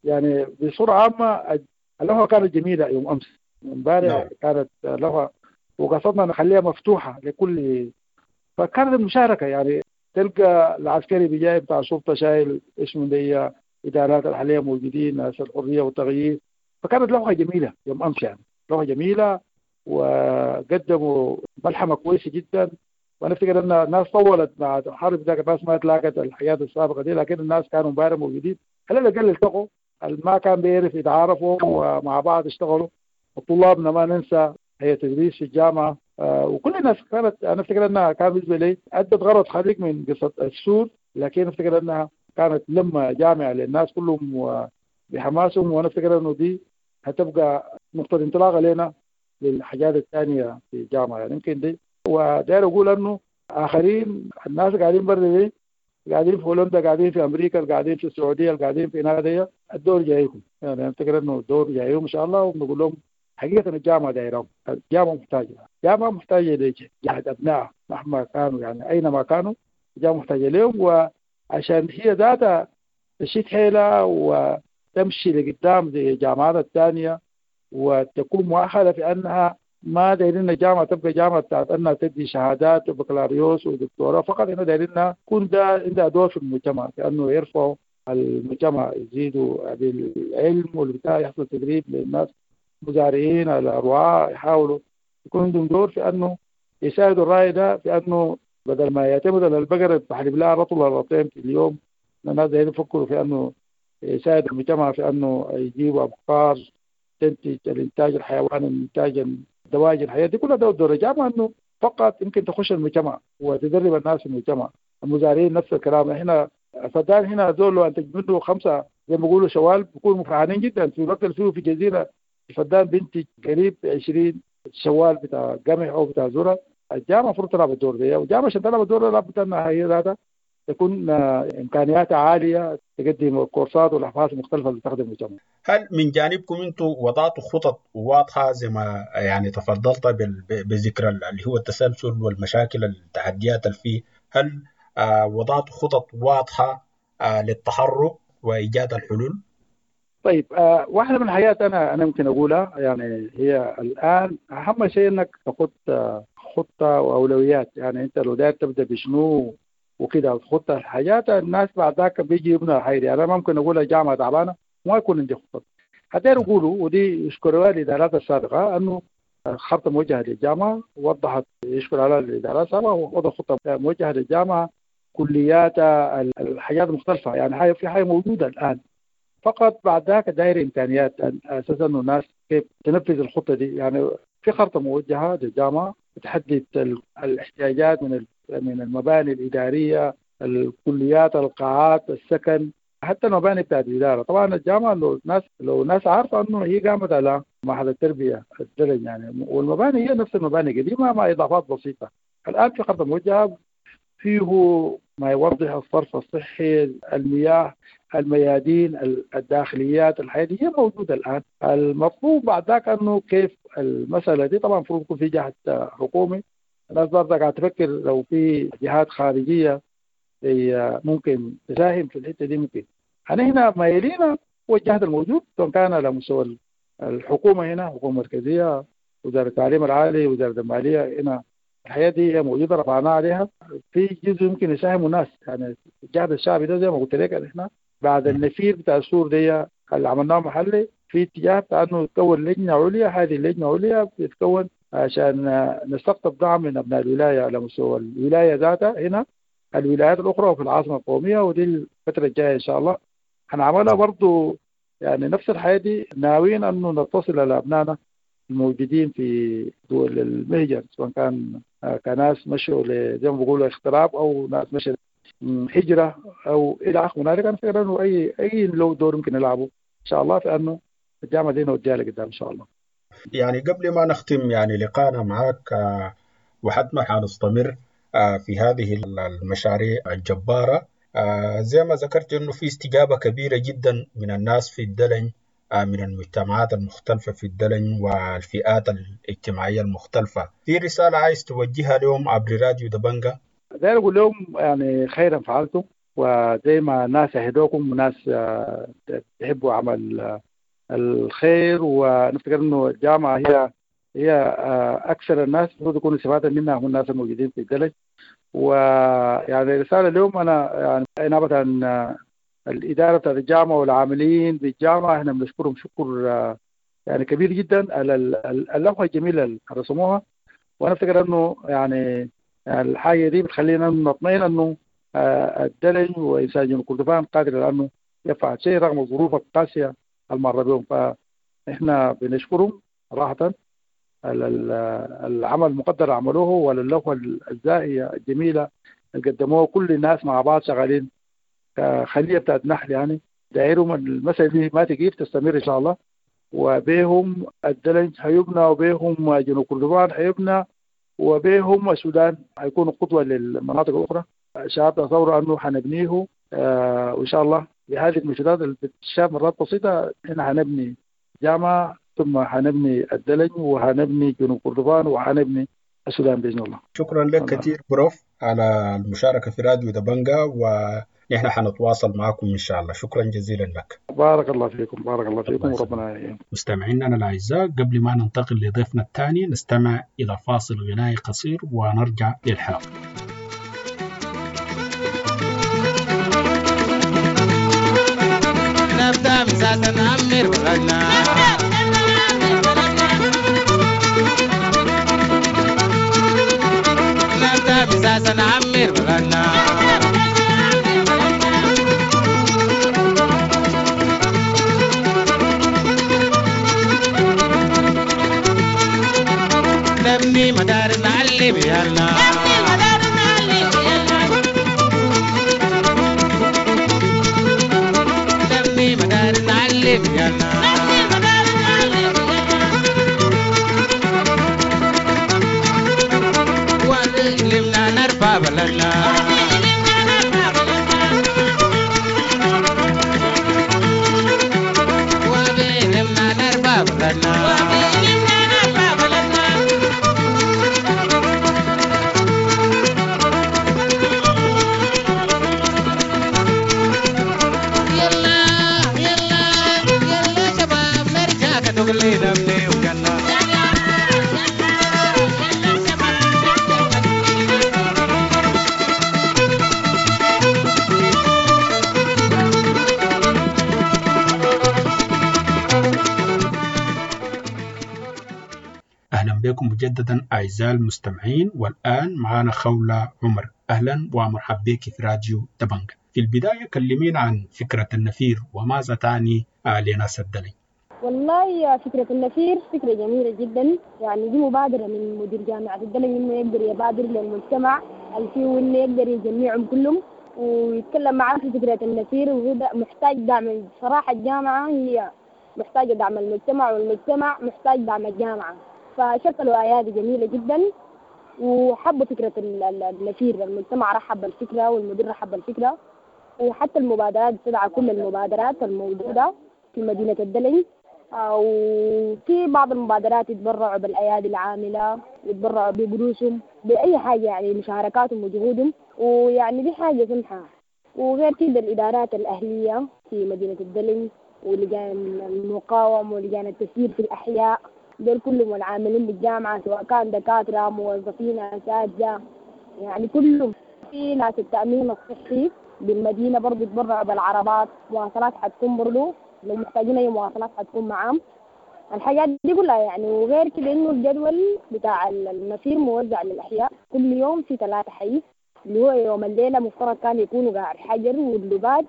يعني بصورة عامة اللوحة كانت جميلة يوم امس امبارح. نعم. كانت لوحة وقصدنا نخليها مفتوحة لكل، فكانت المشاركة يعني تلقى العسكري بجاي بتاع الشرطة شايل اسمه دي، ادارات الحالية موجودين، ناس الحرية والتغيير، فكانت لوحة جميلة يوم امس، يعني لوحة جميلة وقدموا ملحمة كويسة جدا. وانا افتكر ان الناس طولت مع الحرب ذاك، الناس ما تلاقت الحياة السابقة دي، لكن الناس كانوا امبارح موجودين، على الاقل التقوا، ما كان بيعرف يتعارفوا ومع بعض اشتغلوا. الطلابنا ما ننسى هي تدريس في الجامعة، آه وكل الناس كانت، انا افتكر انها كان بالنسبة لي ادت غرض خارج من قصة السور، لكن افتكر انها كانت لما جامعه للناس كلهم بحماسهم، وانا افتكر انه دي هتبقى نقطة انطلاق لنا للحاجات الثانية في الجامعة، يعني يمكن دي. وداير اقول انه اخرين الناس قاعدين برا دي، قاعدين في هولندا، قاعدين في امريكا، قاعدين في السعودية، قاعدين في ناديه، الدور جايكم، يعني افتكر انه الدور جايهم ان شاء الله. وبنقول لهم حقيقة الجامعة دايرهم، الجامعة محتاجه، الجامعة محتاجه لجهد ابنائها مهما كانوا، يعني اينما كانوا الجامعة محتاجه لهم، وعشان هي ذاتها تشيد حيلها وتمشي لقدام زي الجامعات الثانية، وتكون مؤهلة في انها ما دايرين الجامعة تبقى جامعه بتاعت انها تدي شهادات وبكالوريوس ودكتوراه فقط، احنا دايرينها يكون ده عندها دور في المجتمع، لانه يرفعوا المجتمع، يزيدوا بالعلم والبتاع، يحصل تدريب للناس مزارعين على رعاة، يحاولوا يكون عندهم دور في انه يساعدوا الراعي ده في انه بدل ما يعتمد على البقرة بحلب لها رطل رطلين في اليوم، الناس دايرين يفكروا في انه يساعد المجتمع في انه يجيبوا ابقار تنتج الانتاج الحيواني، الانتاج الدواجن، الحياة دي كلها دور الجامعة، انه فقط يمكن تخش المجتمع وتدرب الناس في المجتمع. المزارعين نفس الكلام، هنا فدان هنا زول لو انتج منه خمسة زي ما بيقولوا شوال بيكونوا فرحانين جدا. في الوقت اللي فيه في جزيرة الفدان بينتج قريب عشرين شوال بتاع قمح او بتاع ذره. الجامعة المفروض تلعب الدور ده، والجامعة عشان تلعب الدور ده لابد انها هي ذاتها تكون امكانياتها عالية، تقدم كورسات والابحاث المختلفة اللي تخدم المجتمع. هل من جانبكم انتم وضعتوا خطط واضحة زي ما يعني تفضلت بذكر اللي هو التسلسل والمشاكل التحديات اللي فيه، هل وضعتوا خطط واضحة للتحرك وايجاد الحلول؟ طيب آه واحدة من الحاجات انا انا ممكن اقولها، يعني هي الان اهم شيء انك تخط خطه واولويات، يعني انت لو داير تبدا بشنو وكده وتخط الحاجات، الناس بعد ذاك بيجي يبنوا الحاجة. يعني انا ممكن اقول الجامعة تعبانة وما يكون عندي خطط. حتى يقولوا ودي يشكروا الادارات السابقة انه خطه موجهة للجامعة وضحت، يشكر على الادارات السابقة ووضع خطه موجهة للجامعة، كلياتها، الحاجات المختلفة، يعني حاجة في حاجة موجودة الان، فقط بعد ذاك داير امكانيات اساسا انه الناس كيف تنفذ الخطة دي. يعني في خرطه موجهة للجامعة تحدد الاحتياجات من من المباني الادارية، الكليات، القاعات، السكن، حتى المباني بتاعت الادارة. طبعا الجامعة لو الناس لو الناس عارفه انه هي قامت على معهد التربية الدرج يعني، والمباني هي نفس المباني قديمة مع اضافات بسيطة. الان في خرطه موجهة فيه ما يوضح الصرف الصحي، المياه، الميادين، الداخليات، الحياة دي هي موجودة الآن. المطلوب بعد ذاك أنه كيف المسألة دي، طبعا المفروض يكون في جهة حكومي، الناس برضه قاعدة تفكر لو في جهات خارجية ممكن تساهم في الحتة دي. ممكن أنا هنا ما يلينا هو الجهد الموجود سواء كان على مستوى الحكومة هنا، حكومة مركزية، وزارة التعليم العالي، وزارة المالية، هنا الحياة دي هي موجودة رفعناها عليها. في جزء يمكن يساهموا الناس، يعني الجهد الشعبي ده زي ما قلت لك احنا بعد النفير بتاع السور دي اللي عملناه محلي في اتجاه بتاع انه تكون لجنة عليا. هذه اللجنة العليا بتتكون عشان نستقطب دعم من ابناء الولاية على مستوى الولاية ذاتها هنا، الولايات الاخرى، وفي العاصمة القومية. ودي الفترة الجاية ان شاء الله هنعملها برضه، يعني نفس الحياة دي ناويين انه نتصل على ابنائنا الموجودين في دول المهجر، سواء كان كناس مشوا زي ما بيقولوا اغتراب او ناس مشوا هجره او الى اخره. هنالك انا فكرة انه اي اي لو دور ممكن يلعبوا شاء الله في انه الجامعة دي نوديها لقدام ان شاء الله. يعني قبل ما نختم يعني لقاءنا معك، وحتما حنستمر في هذه المشاريع الجبارة، زي ما ذكرت انه في استجابة كبيرة جدا من الناس في الدلنج، من المجتمعات المختلفة في الدلنج والفئات الاجتماعية المختلفة. في رسالة عايز توجهها لهم عبر راديو دبنجة؟ داير أقول لهم يعني خيرا فعلتم، وزي ما الناس يهدوكم وناس تحبوا عمل الخير، ونفتكر انه الجامعة هي هي اكثر الناس المفروض يكونوا استفاده منها هم الناس الموجودين في الدلج. ويعني رسالة اليوم انا يعني نابت عن الادارة بتاعت الجامعة والعاملين بالجامعة، احنا بنشكرهم شكر يعني كبير جدا على اللوحة الجميلة اللي رسموها، وانا افتكر انه يعني الحاجة دي بتخلينا نطمئن انه الدلج وانسان جنوب كردفان قادر على انه يفعل شيء رغم الظروف القاسية المرة بهم. فاحنا بنشكرهم صراحة العمل المقدر عملوه وللوحه الزاهيه الجميلة اللي قدموها، كل الناس مع بعض شغالين كخليه بتاعت نحل، يعني دايرهم المسألة دي ما تجيب تستمر ان شاء الله، وبيهم الدلنج حيبنى، وبيهم جنوب كردفان حيبنى، وبيهم السودان حيكونوا قدوة للمناطق الاخرى. الشباب تصوروا انه حنبنيه آه وان شاء الله بهذه المجهودات اللي بتشاف مرات بسيطة احنا حنبني جامعه، ثم حنبني الدلج، وحنبني جنوب كردفان، وحنبني السودان باذن الله. شكرا لك كثير بروف على المشاركة في راديو دبنجة، ونحن حنتواصل معكم ان شاء الله. شكرا جزيلا لك. بارك الله فيكم، بارك الله فيكم وربنا يعينكم. مستمعينا الاعزاء، قبل ما ننتقل لضيفنا الثاني نستمع الى فاصل غنائي قصير ونرجع للحلقة. نبدأ مساسا نعمر بلدنا، نبدأ مساسا نعمر بلدنا، نبني مدارس نعلم عيالنا، نبني مدارس نعلم عيالنا، وعلمنا نرفع بلدنا، وعلمنا نرفع بلدنا. بكم مجددا أعزائي المستمعين، والآن معنا خولة عمر. أهلا ومرحبا بك في راديو دبنجة. في البداية كلمين عن فكرة النفير وماذا تعني لناس الدلنج. والله فكرة النفير فكرة جميلة جدا، يعني دي مبادرة من مدير جامعة الدلنج إنه يقدر يبادر للمجتمع اللي فيه، وإنه يقدر يجمعهم كلهم ويتكلم معاه في فكرة النفير، وهو محتاج دعم. صراحة الجامعة هي محتاجة دعم المجتمع، والمجتمع محتاج دعم الجامعة، فشكلوا أيادي جميلة جدا وحبوا فكرة النفير. المجتمع رحب بالفكرة والمدير رحب بالفكرة، وحتى المبادرات تدعى كل المبادرات الموجودة في مدينة الدلنج، وفي بعض المبادرات يتبرعوا بالأيادي العاملة، يتبرعوا بقروشهم، بأي حاجة، يعني مشاركاتهم وجهودهم، ويعني دي حاجة سمحة. وغير كده الإدارات الأهلية في مدينة الدلنج ولجان المقاومة ولجان التسيير في الأحياء، دول كلهم العاملين بالجامعة سواء كان دكاترة موظفين أساتذة، يعني كلهم. في ناس التأمين الصحي بالمدينة برضو يتبرعوا بالعربات، مواصلات حتكون برضو لو محتاجين أي مواصلات حتكون معاهم، الحاجات دي كلها يعني. وغير كده إنه الجدول بتاع النفير موزع للأحياء، كل يوم في ثلاثة حي، اللي هو يوم الليلة مفترض كان يكونوا قاع الحجر واللباد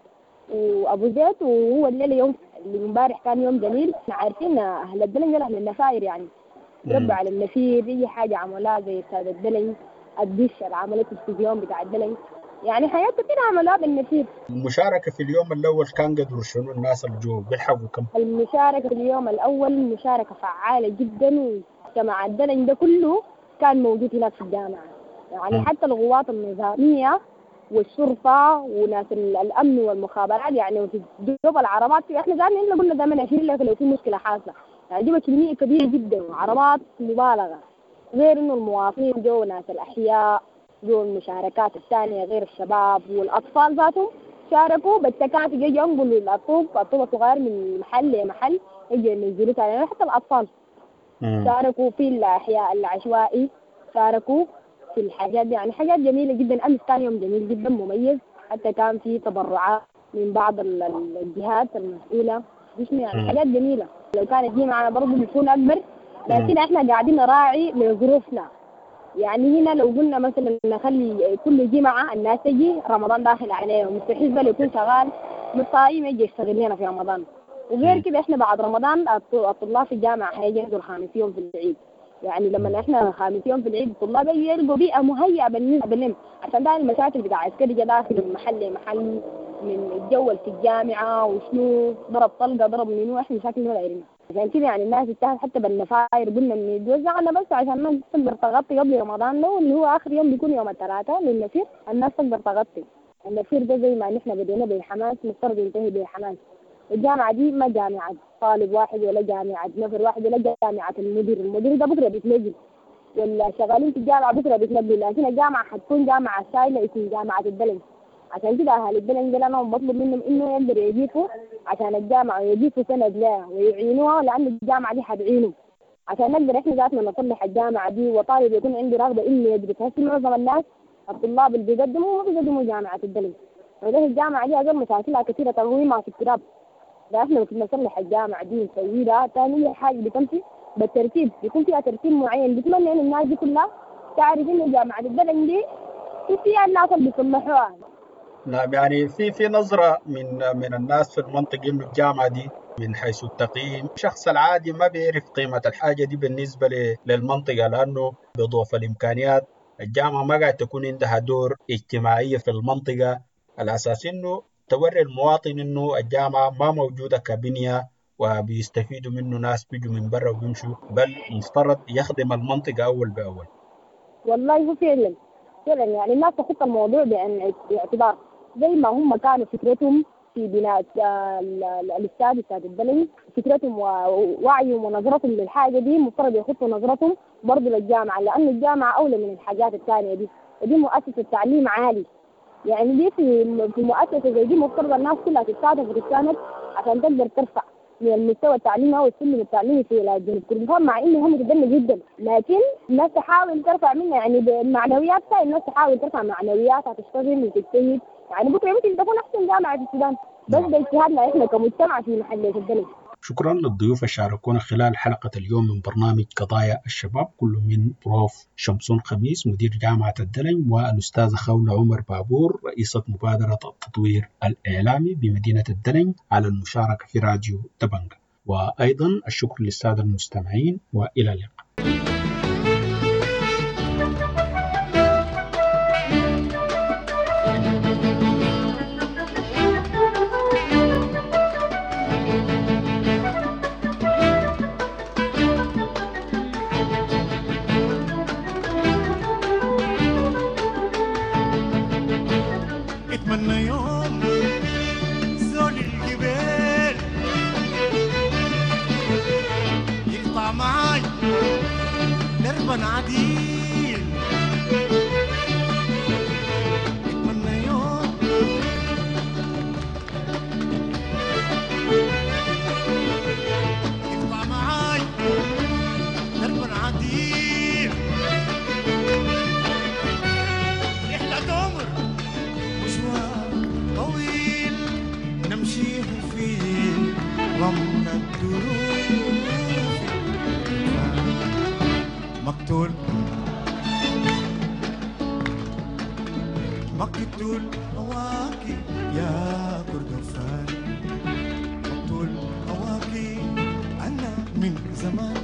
وأبو زيت، وهو الليلة يوم اللي امبارح كان يوم جميل. احنا عارفين أهل الدلنج أهل النفاير، يعني ربوا على النفير، أي حاجة عملوها زي استاد الدلنج، الدش اللي عملته التلفزيون بتاع الدلنج، يعني حاجات كتير عملوها بالنفير. المشاركة في اليوم الأول كان قدر شنو الناس اللي جو بيلحقوا كم؟ المشاركة في اليوم الأول مشاركة فعالة جدا، ومجتمع الدلنج ده كله كان موجود هناك في الجامعة، يعني م. حتى القوات النظامية والشرطة وناس الأمن والمخابرات، يعني في دوب العربات احنا زمان إحنا قلنا زمان عشرين لك لو في مشكلة حاصلة، يعني دي كمية كبيرة جدا وعربات مبالغة، غير إنه المواطنين جو ناس الأحياء جو المشاركات الثانية غير الشباب والأطفال ذاتهم شاركوا بالتكاتك، يجوا ينقلوا الطوب الطوب الصغير من محل لمحل يجوا ينزلوا ثاني، حتى الأطفال شاركوا في الأحياء العشوائي، شاركوا في الحاجات دي، يعني حاجات جميلة جدا. أمس كان يوم جميل جدا مميز، حتى كان في تبرعات من بعض الجهات المسؤولة، يعني حاجات جميلة. لو كانت دي معنا برضه بتكون أكبر، لكن احنا قاعدين نراعي لظروفنا. يعني هنا لو قلنا مثلا نخلي كل جمعة الناس تجي، رمضان داخل عليهم مستحيل بل يكون شغال مصايم يجي يشتغل لنا في رمضان. وغير كده احنا بعد رمضان الطلاب في الجامعة حيجوا خامس يوم في العيد، يعني لما احنا خامس يوم في العيد الطلاب يلقوا بيئة مهيئة بالنسبة لهم، عشان ده المشاكل بتاع عسكري داخل من محل لمحل، من الجو في الجامعة وشنو ضرب طلقة ضرب منو، احنا مشاكل ما دايرينها. عشان كده يعني الناس اجتهدت حتى بالنفاير، قلنا ان يتوزعنا بس عشان الناس تقدر تغطي قبل رمضان ده، واللي هو اخر يوم بيكون يوم الثلاثاء للنفير، الناس تقدر تغطي. النفير ده زي ما نحن بدينا بالحماس مفترض ينتهي بالحماس. الجامعة دي ما جامعة طالب واحد ولا جامعة نفر واحد ولا جامعة المدير، المدير ده بكرة بيتنزل، ولا شغالين في الجامعة بكرة بيتنزل، لكن الجامعة حتكون جامعة شايلة اسم جامعة الدلنج. عشان كده أهل الدلنج ده أنا بطلب منهم إنه يقدروا يضيفوا عشان الجامعة، ويضيفوا سند لها ويعينوها، لأن الجامعة دي حتعينهم عشان نقدر إحنا ذاتنا نصلح الجامعة دي، وطالب يكون عنده رغبة إنه يدرس. هسه معظم الناس الطلاب اللي بيقدموا ما بيقدموا جامعة الدلنج، وده الجامعة دي أقل مشاكلها كثيرة تقويمها في التراب. ده احنا ممكن نصلح الجامعة دي نسوي لها ثاني حاجة بتمشي بالترتيب، بيكون فيها ترتيب معين. بتمنى إن الناس دي كلها تعرف إنه جامعة الدلنج دي فيها الناس اللي بيصلحوها. نعم، يعني في في نظرة من من الناس في المنطقة إنه الجامعة دي من حيث التقييم الشخص العادي ما بيعرف قيمة الحاجة دي بالنسبة للمنطقة، لأنه بضعف الإمكانيات الجامعة ما قاعد تكون عندها دور اجتماعية في المنطقة. الأساس إنه توري المواطن إنه الجامعة ما موجودة كبنية وبيستفيدوا منه ناس بيجوا من برا وبيمشوا، بل مفترض يخدم المنطقة أول بأول. والله هو فعلا فعلا يعني الناس تخط الموضوع باعتبار زي ما هم كانوا فكرتهم في بناء الاستاد استاد الدلنج، فكرتهم ووعيهم ونظرتهم للحاجة دي مفترض يخطوا نظرتهم برضه للجامعة، لأن الجامعة أولى من الحاجات الثانية دي، ودي مؤسسة تعليم عالي. يعني دي في في مؤسسة زي دي مفترض الناس كلها تتساعد وتتساند عشان تقدر ترفع من المستوى التعليمي أو السلم التعليمي في ولاية جنوب كردفان، مع إنه هم متدني جدا، لكن الناس تحاول ترفع منها يعني بمعنوياتها، الناس تحاول ترفع معنوياتها تشتغل وتجتهد. يعني بكرة يمكن تكون أحسن جامعة في السودان، بس باجتهادنا إحنا كمجتمع في محلية الدلنج. شكرا للضيوف اللي شاركونا خلال حلقة اليوم من برنامج قضايا الشباب، كل من بروف شمسون خميس مدير جامعة الدلنج، والأستاذة خولة عمر بابور رئيسة مبادرة التطوير الإعلامي بمدينة الدلنج على المشاركة في راديو دبنجا. وأيضا الشكر للسادة المستمعين، وإلى اللقاء. اتمنى يوم زول الجبال يقطع معاي دربا عديل، اتمنى يوم يقطع معاي دربا عديل، رحلة عمر مشوار طويل نمشيه في رمل الدروب، مقتول مقتول هواكي يا كردفان، مقتول هواكي أنا من زمان.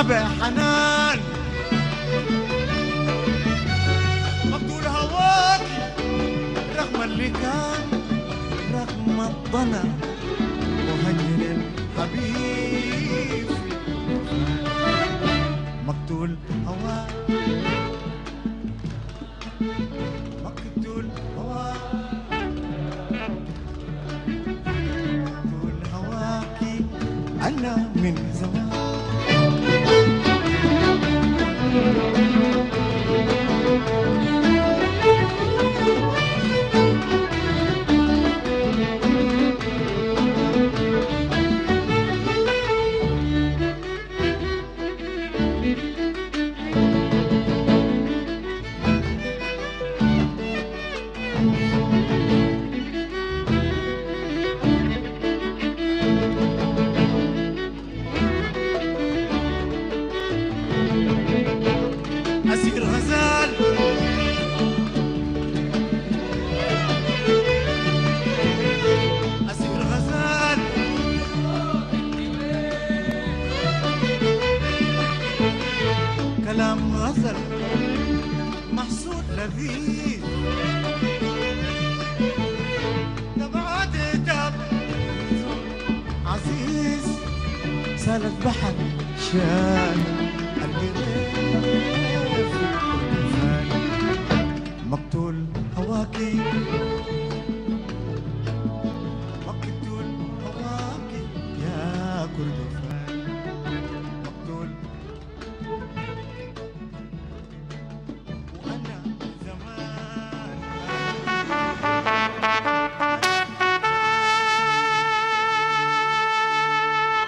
نبع حنان مقتول هواك رغم اللي كان رغم الضنا مهجر الحبيب مقتول هواك مقتول هواك مقتول هواك أنا من زمان. أسير غزال أسير غزال كلام غزل محسود لذيذ دمعات دم عزيز سالت بحر شال القريف مقتول هواكي مقتول هواكي يا كردفان مقتول وأنا زمان.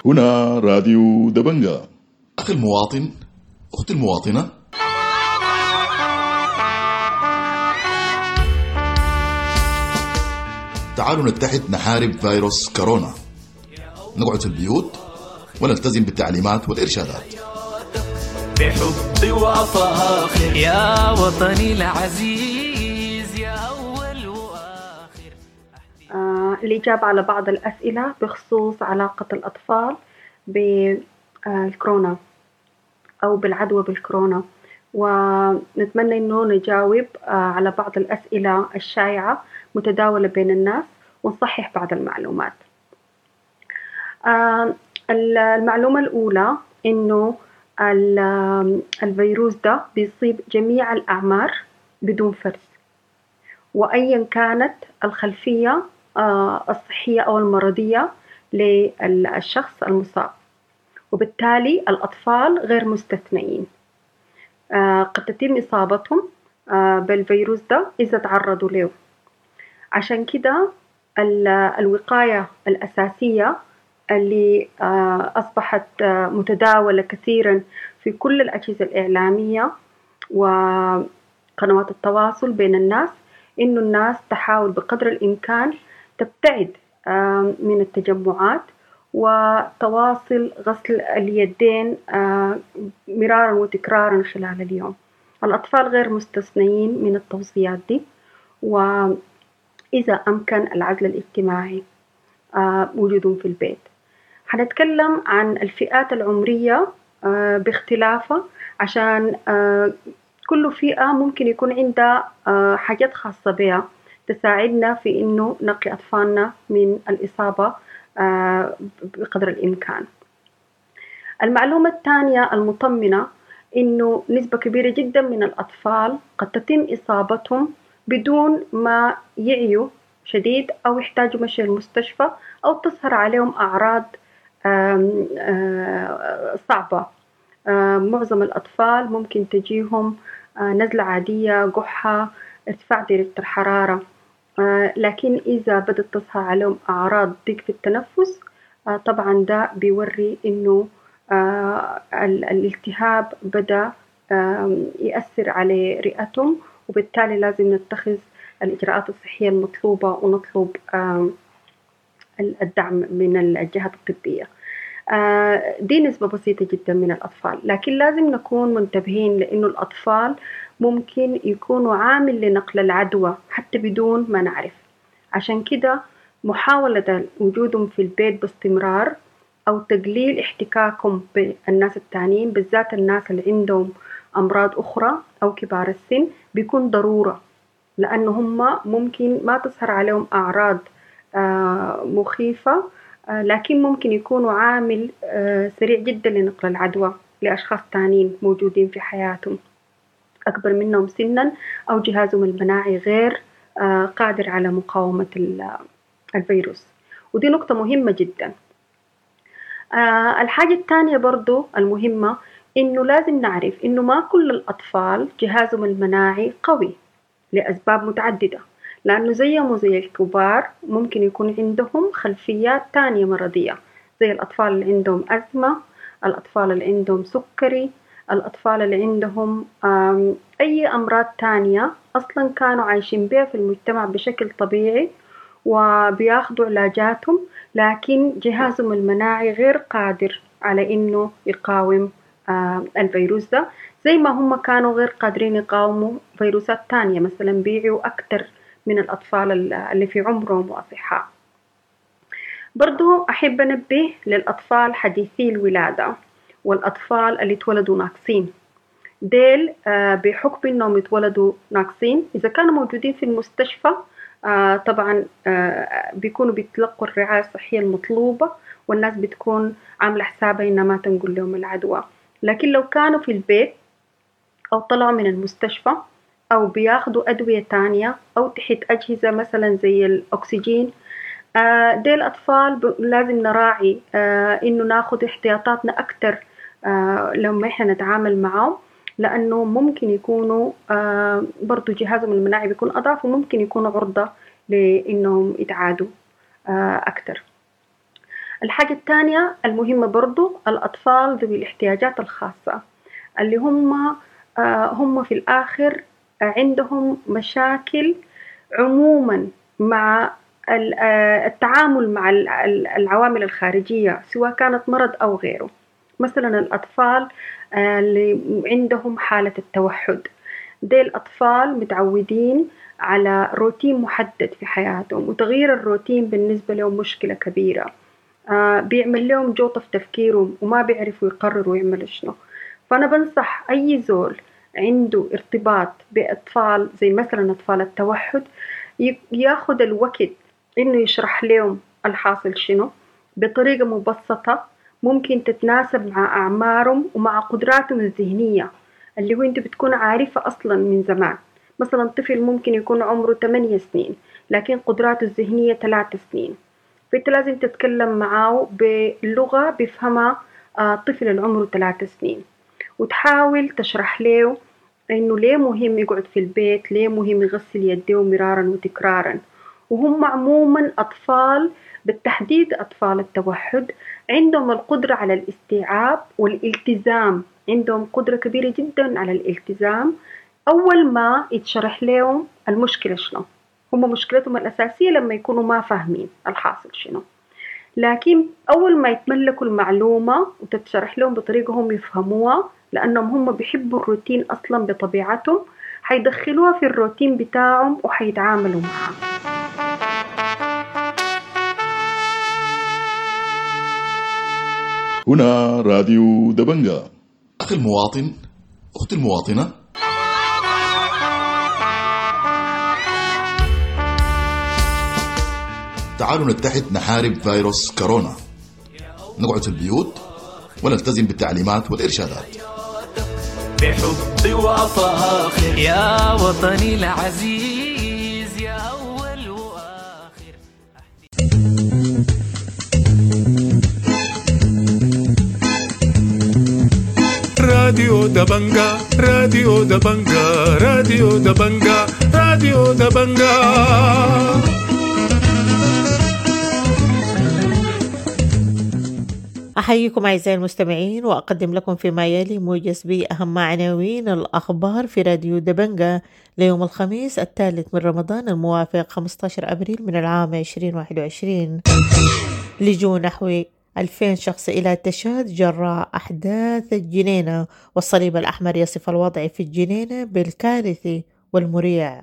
هنا راديو دبنجا. أخي المواطن، أختي المواطنة، تعالوا نتحد نحارب فيروس كورونا. نقعد في البيوت ونلتزم بالتعليمات والإرشادات. بحبي وأفاخر يا وطني العزيز يا أول وآخر. آه، الإجابة على بعض الأسئلة بخصوص علاقة الأطفال بالكورونا أو بالعدوى بالكورونا، ونتمنى إنه نجاوب آه، على بعض الأسئلة الشائعة متداولة بين الناس ونصحح بعض المعلومات. آه، المعلومة الأولى إنه الفيروس ده بيصيب جميع الأعمار بدون فرز، وأيا كانت الخلفية آه، الصحية أو المرضية للشخص المصاب، وبالتالي الأطفال غير مستثنئين. آه، قد تتم إصابتهم آه، بالفيروس ده إذا تعرضوا له. عشان كده الوقاية الأساسية اللي آه، أصبحت متداولة كثيرا في كل الأجهزة الإعلامية وقنوات التواصل بين الناس، إنه الناس تحاول بقدر الإمكان تبتعد من التجمعات وتواصل غسل اليدين مرارا وتكرارا خلال اليوم. الأطفال غير مستثنيين من التوصيات دي، وإذا أمكن العزل الاجتماعي وجودهم في البيت. هنتكلم عن الفئات العمرية باختلافها، عشان كل فئة ممكن يكون عندها حاجات خاصة بها تساعدنا في إنه نقي أطفالنا من الإصابة بقدر الإمكان. المعلومة الثانية المطمئنة إنه نسبة كبيرة جدا من الأطفال قد تتم إصابتهم بدون ما يعيوا شديد أو يحتاجوا مشي المستشفى أو تظهر عليهم أعراض صعبة. معظم الأطفال ممكن تجيهم نزلة عادية، قحة، ارتفاع درجة الحرارة، لكن إذا بدأت تظهر عليهم أعراض ضيق في التنفس طبعا ده بيوري إنه الالتهاب بدأ يأثر على رئتهم، وبالتالي لازم نتخذ الإجراءات الصحية المطلوبة ونطلب الدعم من الجهات الطبية. دي نسبة بسيطة جدا من الأطفال، لكن لازم نكون منتبهين لأنه الأطفال ممكن يكونوا عامل لنقل العدوى حتى بدون ما نعرف. عشان كده محاولة وجودهم في البيت باستمرار أو تقليل احتكاكهم بالناس التانيين، بالذات الناس اللي عندهم أمراض أخرى أو كبار السن، بيكون ضرورة، لأنه هم ممكن ما تظهر عليهم أعراض مخيفة، لكن ممكن يكونوا عامل سريع جدا لنقل العدوى لأشخاص تانيين موجودين في حياتهم أكبر منهم سنا أو جهازهم المناعي غير قادر على مقاومة الفيروس، ودي نقطة مهمة جدا. الحاجة الثانية برضو المهمة إنه لازم نعرف إنه ما كل الأطفال جهازهم المناعي قوي لأسباب متعددة، لأنه زيهم وزي الكبار ممكن يكون عندهم خلفيات تانية مرضية، زي الأطفال اللي عندهم أزمة، الأطفال اللي عندهم سكري، الأطفال اللي عندهم أي أمراض تانية أصلاً كانوا عايشين بها في المجتمع بشكل طبيعي وبياخدوا علاجاتهم، لكن جهازهم المناعي غير قادر على إنه يقاوم الفيروس ده، زي ما هم كانوا غير قادرين يقاوموا فيروسات تانية، مثلاً بيعوا أكتر من الأطفال اللي في عمرهم وأصحاء. برضو أحب أنبه للأطفال حديثي الولادة والأطفال اللي اتولدوا ناقصين، ديل بحكم إنهم اتولدوا ناقصين إذا كانوا موجودين في المستشفى طبعا بيكونوا بيتلقوا الرعاية الصحية المطلوبة والناس بتكون عاملة حسابها إنها ما تنقل لهم العدوى، لكن لو كانوا في البيت أو طلعوا من المستشفى أو بياخدوا أدوية تانية أو تحت أجهزة مثلا زي الأكسجين، ديل الأطفال لازم نراعي إنه ناخد احتياطاتنا أكتر لما إحنا نتعامل معهم، لأنه ممكن يكونوا برضو جهازهم المناعي بيكون أضعف وممكن يكونوا عرضة لإنهم يتعادوا أكتر. الحاجة الثانية المهمة برضو الأطفال ذوي الاحتياجات الخاصة، اللي هم هم في الآخر عندهم مشاكل عموما مع التعامل مع العوامل الخارجية سواء كانت مرض أو غيره. مثلا الأطفال اللي عندهم حالة التوحد، دي الأطفال متعودين على روتين محدد في حياتهم، وتغيير الروتين بالنسبة لهم مشكلة كبيرة، بيعمل لهم جوطة في تفكيرهم وما بيعرفوا يقرروا يعملوا شنو. فأنا بنصح أي زول عنده ارتباط بأطفال زي مثلا أطفال التوحد ياخد الوقت إنه يشرح لهم الحاصل شنو بطريقة مبسطة ممكن تتناسب مع أعمارهم ومع قدراتهم الذهنية اللي هو أنت بتكون عارفة أصلا من زمان. مثلا طفل ممكن يكون عمره ثمانية سنين لكن قدراته الذهنية ثلاث سنين، فأنت لازم تتكلم معاه بلغة بيفهمها طفل اللي عمره ثلاث سنين، وتحاول تشرح له إنه ليه مهم يقعد في البيت، ليه مهم يغسل يديه مرارا وتكرارا. وهم عموما أطفال بالتحديد أطفال التوحد عندهم القدرة على الاستيعاب والالتزام، عندهم قدرة كبيرة جدا على الالتزام أول ما يتشرح لهم المشكلة شنو. هم مشكلتهم الأساسية لما يكونوا ما فاهمين الحاصل شنو، لكن أول ما يتملكوا المعلومة وتتشرح لهم بطريقة هم يفهموها، لأنهم هم بيحبوا الروتين أصلا بطبيعتهم، حيدخلوها في الروتين بتاعهم وحيتعاملوا معها. هنا راديو دبنجا. أخي المواطن، أختي المواطنة، تعالوا نتحد نحارب فيروس كورونا، نقعد في البيوت ونلتزم بالتعليمات والإرشادات. بحبي وأفاخر يا وطني العزيز يا أول وآخر. راديو دبنجا، راديو دبنجا، راديو دبنجا، راديو دبنجا. أحييكم أعزائي المستمعين وأقدم لكم فيما يلي موجز بأهم عناوين الأخبار في راديو دبنجا ليوم الخميس الثالث من رمضان الموافق خمسة عشر أبريل من العام ألفين وواحد وعشرين. لجوء نحو ألفين شخص إلى تشاد جراء أحداث الجنينة، والصليب الأحمر يصف الوضع في الجنينة بالكارثي والمريع.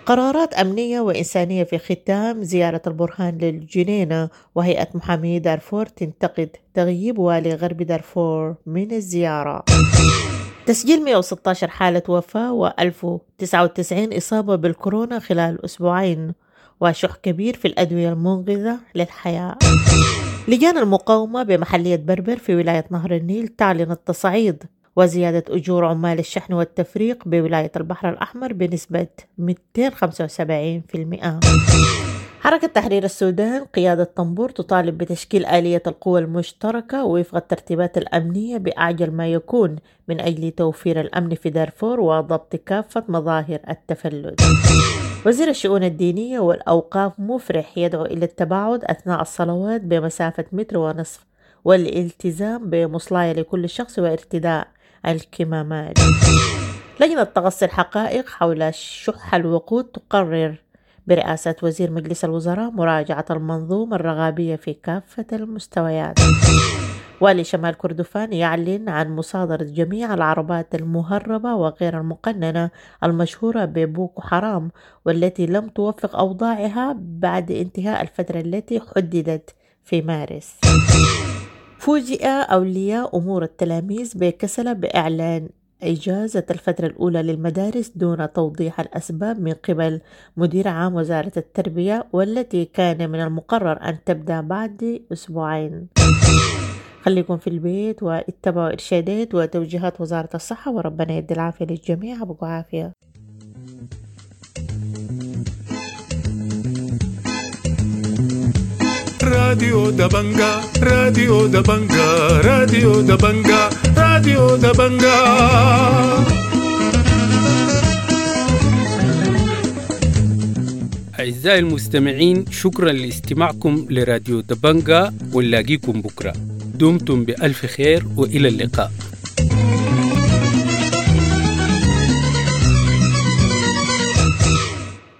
قرارات أمنية وإنسانية في ختام زيارة البرهان للجنينة، وهيئة محامي دارفور تنتقد تغييب والي غرب دارفور من الزيارة. تسجيل مئة وستة عشر حالة وفاة وألف وتسعة وتسعين إصابة بالكورونا خلال أسبوعين، وشح كبير في الأدوية المنقذة للحياة. لجان المقاومة بمحلية بربر في ولاية نهر النيل تعلن التصعيد وزيادة أجور عمال الشحن والتفريق بولاية البحر الأحمر بنسبة مئتين وخمسة وسبعين في المئة. حركة تحرير السودان قيادة طنبور تطالب بتشكيل آلية القوى المشتركة وفق الترتيبات الأمنية بأعجل ما يكون من أجل توفير الأمن في دارفور وضبط كافة مظاهر التفلت. وزير الشؤون الدينية والأوقاف مفرح يدعو إلى التباعد أثناء الصلوات بمسافة متر ونصف والالتزام بمصلاية لكل شخص وارتداء الكمامات. لجنة تغطي الحقائق حول شح الوقود تقرر برئاسة وزير مجلس الوزراء مراجعة المنظومة الرغابية في كافة المستويات. والي شمال كردفان يعلن عن مصادرة جميع العربات المهربة وغير المقننة المشهورة ببوكو حرام والتي لم توفق أوضاعها بعد انتهاء الفترة التي حددت في مارس. فوجئ أولياء أمور التلاميذ بكسلة بإعلان إجازة الفترة الأولى للمدارس دون توضيح الأسباب من قبل مدير عام وزارة التربية، والتي كان من المقرر أن تبدأ بعد أسبوعين. خليكم في البيت واتبعوا إرشادات وتوجيهات وزارة الصحة، وربنا يدي العافية للجميع. أبقوا عافية. راديو دبنجا، راديو دبنجا، راديو دبنجا، راديو دبنجا. أعزائي المستمعين، شكرا لاستماعكم لراديو دبنجا، ونلاقيكم بكرة. دمتم بألف خير وإلى اللقاء.